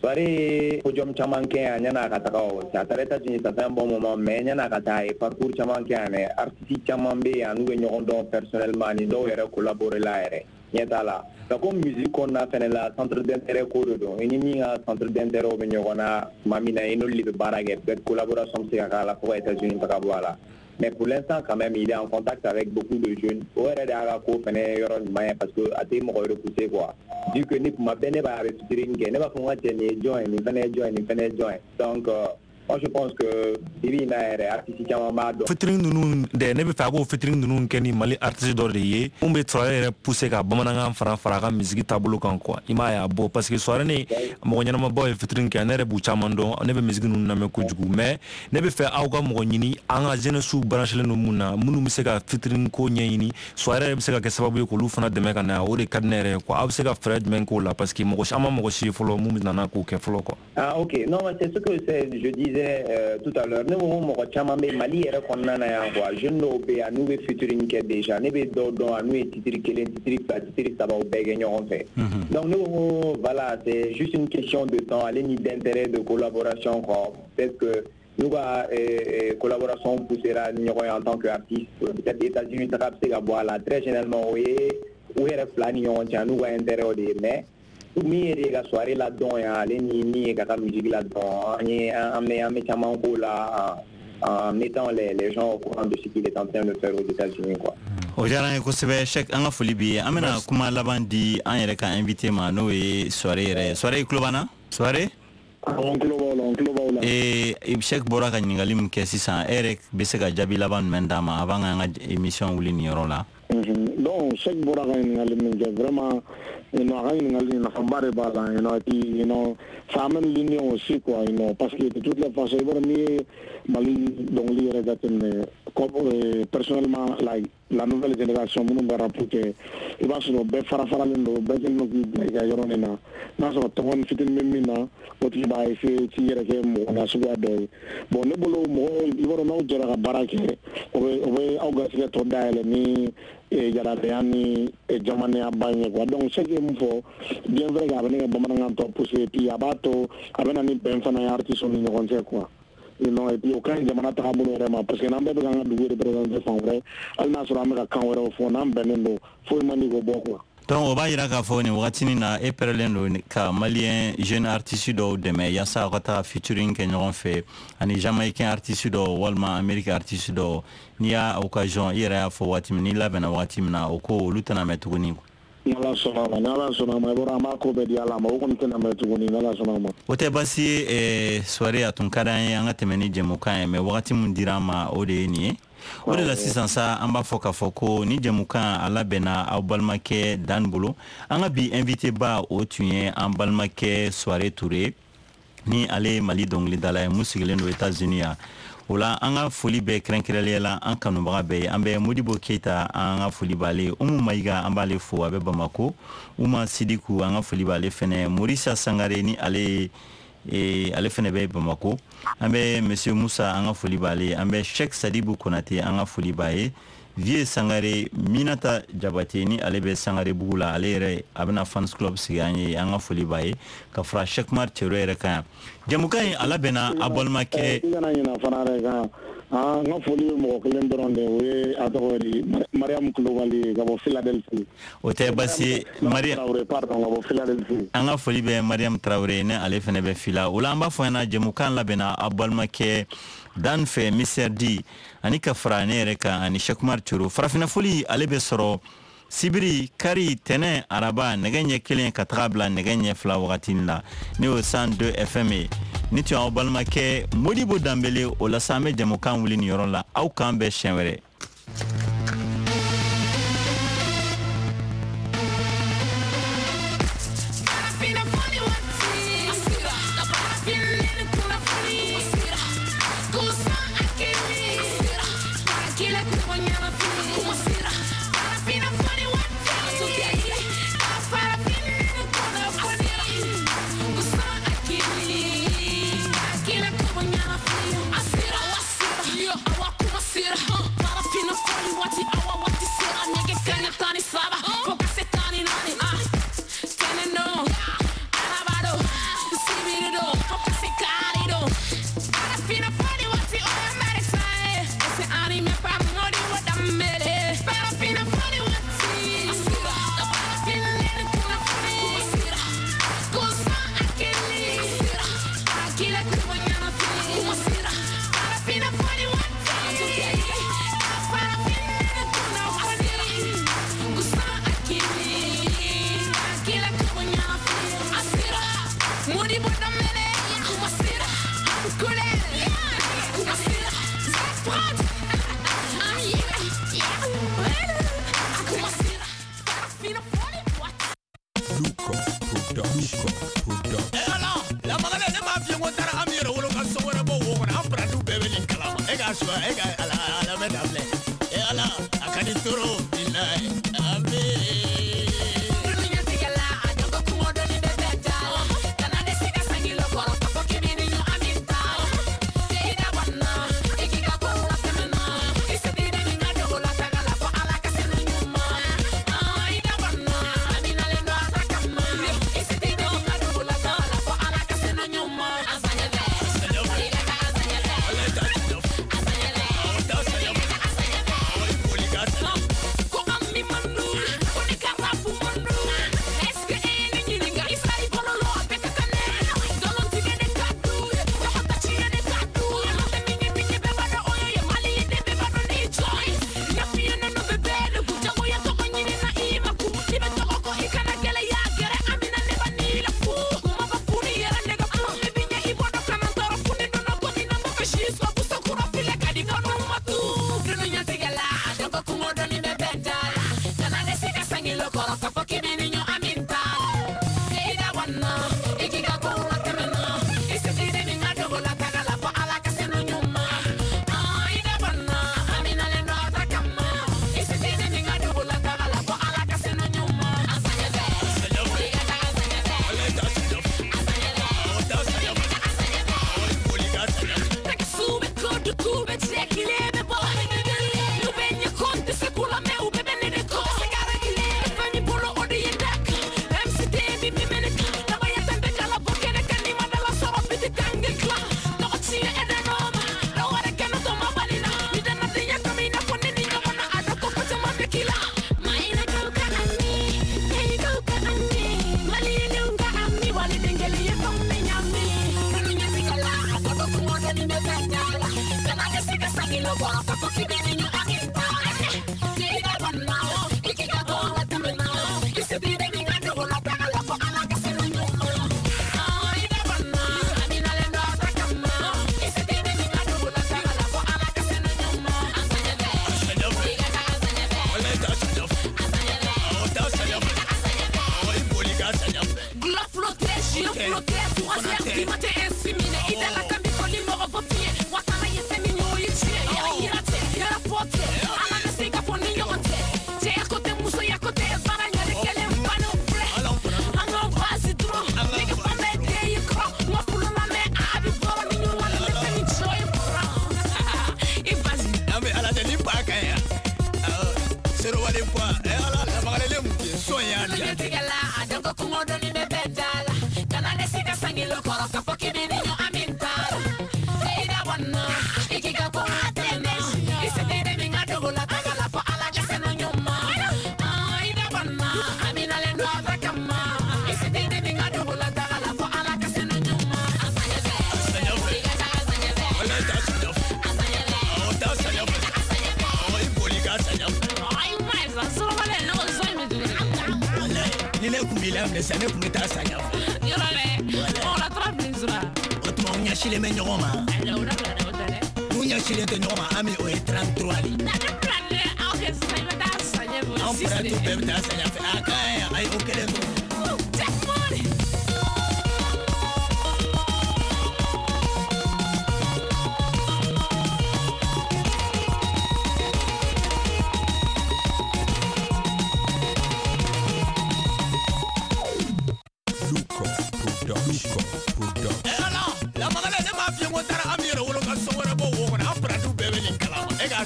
Souaré podium caman kɛ yan yan'a ka taga o a taara États-Unis ça fait un bon moment mais yan'a ka taa a ye parcours caman kɛ yan mais artiste caman bɛ yan n'u bɛ ɲɔgɔn dɔn personnellement ani dɔw yɛrɛ collaborer la yɛrɛ ɲɛ t'a la nka ko musique kɔnɔna fɛnɛ la centre d'intérêt ko de don i ni min ka centre d'intérêt bɛ ɲɔgɔn na tuma min na i n'olu de bɛ baara kɛ peut-être collaboration bɛ se ka k'a la fo ka États-Unis taga bɔ a la. Mais pour l'instant, quand même, il est en contact avec beaucoup de jeunes. O yɛrɛ de y'a ka ko fɛnɛ yɔrɔ ɲuman ye parce que a tɛ mɔgɔ repousser quoi. Vu que ne kuma bɛɛ ne b'a bɛ featuring kɛ ne b'a fɔ n ka cɛ nin ye jɔn ye nin fɛnɛ ye jɔn ye nin fɛnɛ ye jɔn ye. Donc euh, moi je pense que bi bi in na yɛrɛ artiste caman b'a dɔn. Featuring ninnu dɛ ne bɛ fɛ a k'o featuring ninnu kɛ ni Mali artiste dɔ de ye mun bɛ Souaré yɛrɛ pousser ka bamanankan fara fara a ka musique taabolo kan quoi. I m'a ye a bɔ parce que Souaré ni mɔgɔ ɲɛnamabaw ye featuring kɛ ne yɛrɛ b'u caman dɔn ne bɛ musique ninnu lamɛn kojugu mais ne bɛ fɛ aw ka mɔgɔ ɲini an ka jeunesse branchelen don mun na minnu bɛ se ka featuring ko ɲɛɲini Souaré yɛrɛ bɛ se ka kɛ sababu ye k'olu fana dɛmɛ ka na o de ka di ne yɛrɛ ye quoi. Aw bɛ se ka fɛɛrɛ jumɛn k'o la parce que mɔgɔ si an ma mɔgɔ si ye fɔlɔ mun bɛ nana k'o kɛ fɔlɔ quoi. Ah ok, non mais c'est ce que c'est, je disais euh, tout à l'heure ne ko mɔgɔ caman bɛ Mali yɛrɛ kɔnɔna na yan quoi jeune dɔw bɛ yan n'u bɛ featuring kɛ déjà ne bɛ dɔw dɔn n'u ye titre kelen titre fila titre saba o bɛɛ kɛ ɲɔgɔn fɛ. Donc ne ko voilà c'est juste une question de temps ale ni d'intérêt de collaboration quoi. Peut-être que n'u ka euh, collaboration poussera ni ɲɔgɔn ye en tant qu'artiste peut-être États-Unis taga bɛ se ka bɔ a la très généralement o ye u yɛrɛ fila ni ɲɔgɔn cɛ n'u ka intérêt o de ye mais min ye de ka soirée la dɔn yan ale ni min ye ka ka musique la dɔn an ye an bɛ an bɛ caman k'o la en mettant les les gens au courant de ce qu'il est en train de faire aux États-Unis quoi. O diyara an ye kosɛbɛ Cheikh, an ka foli b'i ye. An bɛna kuma laban di an yɛrɛ ka invité ma n'o ye Souaré yɛrɛ ye. Souaré i tulo b'an na? Souaré? N tulo b'aw la, n tulo b'aw la. Ee Cheikh bɔra ka ɲininkali min kɛ sisan e yɛrɛ bɛ se ka jaabi laban jumɛn d'a ma avant k'an ka émission wuli nin yɔrɔ la? Donc Cheikh bɔra ka ɲininkali min kɛ vraiment you know, a ka ɲininkali nafaba de b'a la you know, et puis you know, ça amène l'union aussi quoi you know, parce que de toutes les façons i b'a dɔn n'i ye Mali dɔnkili yɛrɛ jateminɛ comme euh, personnellement like la nouvelle génération minnu bɛ rap kɛ i b'a sɔrɔ bɛɛ fara faralen don bɛɛ kɛlen don k'i bila i ka yɔrɔ nin na n'a sɔrɔ tɔgɔ ni fitinin bɛ min na o tigi b'a essayer k'i yɛrɛ kɛ mɔgɔ nasuguya dɔ ye. Bon ne bolo mɔgɔ i b'a dɔn n'aw jɛra ka baara kɛ o bɛ o bɛ aw garisɛgɛ tɔ dayɛlɛ ni jaradenya ni jamanenya ba ye quoi. Donc ce que mun fɔ bien vrai que a bɛ ne ka bamanankan tɔ pousser et puis a b'a to a bɛ na ni bɛn fana ye artiste ni ɲɔgɔn cɛ quoi. Non, et puis o ka ɲi jamana tagabolo yɛrɛ ma parce que n'an bɛɛ bɛ k'an ka dugu représenter fan wɛrɛ hali n'a sɔrɔ an bɛ ka kan wɛrɛw fɔ n'an bɛnnen don foyi man di k'o bɔ quoi. Donc o b'a yira k'a fɔ nin wagatinin na e pɛrɛlen don ka malien jeune artiste dɔw dɛmɛ yaasa aw ka taga featuring kɛ ɲɔgɔn fɛ ani jamaïcain artiste dɔw walima amérique artiste dɔw n'i y'a occasion i yɛrɛ y'a fɔ waati min n'i labɛnna waati min na o ko olu tɛna mɛn tuguni. Ni Ala sɔnna a ma, ni Ala sɔnna a ma, i b'a dɔn an b'a ko bɛɛ di Ala ma, o kɔni tɛna mɛn tuguni ni Ala sɔnna a ma. O tɛ baasi ye Souaré, a tun ka d'an ye an ka tɛmɛ ni jɛmukan ye mais wagati min dira an ma o de ye nin ye. O de la sisan sa an b'a fɔ k'a fɔ ko ni jɛmukan a labɛnna aw balimakɛ Dan bolo. An ka bi invité ba o tun ye an balimakɛ Souaré Touré ni ale ye Mali dɔnkilidala ye mun sigilen don États-Unis yan. O la an ka foli bɛɛ kɛrɛnkɛrɛnnenya la an kanubaga bɛɛ ye. An bɛ Modibo Keyita an ka foli b'ale ye, Umu Mayiga an b'ale fo a bɛ Bamako, Uma Sidiku an ka foli b'ale fɛnɛ, Morisa Sangare ni ale ye ale fɛnɛ bɛ Bamako, an bɛ Monsieur Musa an ka foli b'ale ye, an bɛ Cheikh Sadibu Konate an ka foli b'a ye, Vieux Sangare Minata Jabate ni ale bɛ Sangare bugu la, ale yɛrɛ a bɛna fans club sigi an ye, an ka foli b'a ye, ka fara Cheikh Umar Cero yɛrɛ kan yan. Jɛmukan in a labɛnna a balimakɛ. I kana ɲinɛ fana dɛ kan n ka foli bɛ mɔgɔ kelen dɔrɔn de o ye a tɔgɔ di Mariam Kulubali ye ka bɔ Philadelphie. O tɛ baasi ye Mariam pardon ka bɔ Philadelphie. An ka foli bɛ Mariam Traoré ne ale fana bɛ Fila. O la an b'a fɔ ɲɛna jɛmukan labɛnna a balimakɛ Dan fɛ Mister D ani ka fara ne yɛrɛ kan ani Cheikh Umar Cero. Farafinna foli ale bɛ sɔrɔ sibiri, kari, tɛnɛ, araba nɛgɛ ɲɛ kelen ka taga bila nɛgɛ ɲɛ fila wagati la ne y'o cent deux F M ye. Ni tun y'aw balimakɛ Modibo Danbele o la sa an bɛ jɛmukan wuli nin yɔrɔ la. Aw k'an bɛn siɲɛ wɛrɛ. Asira, Luca Production. Production. Eh ala, la magala ne m'a f'i ye n ko n taara Ami yɛrɛ wolo ka so wɛrɛ bɔ wo kɔnɔ, an parantiw bɛɛ bɛ nin kalama. E k'a suwa, e ka ala ala bɛ ta filɛ. Eh ala, a ka di trop bilahi. Ami.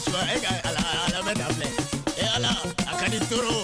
E ka ala ala bɛ ta filɛ. E ala, a ka di trop.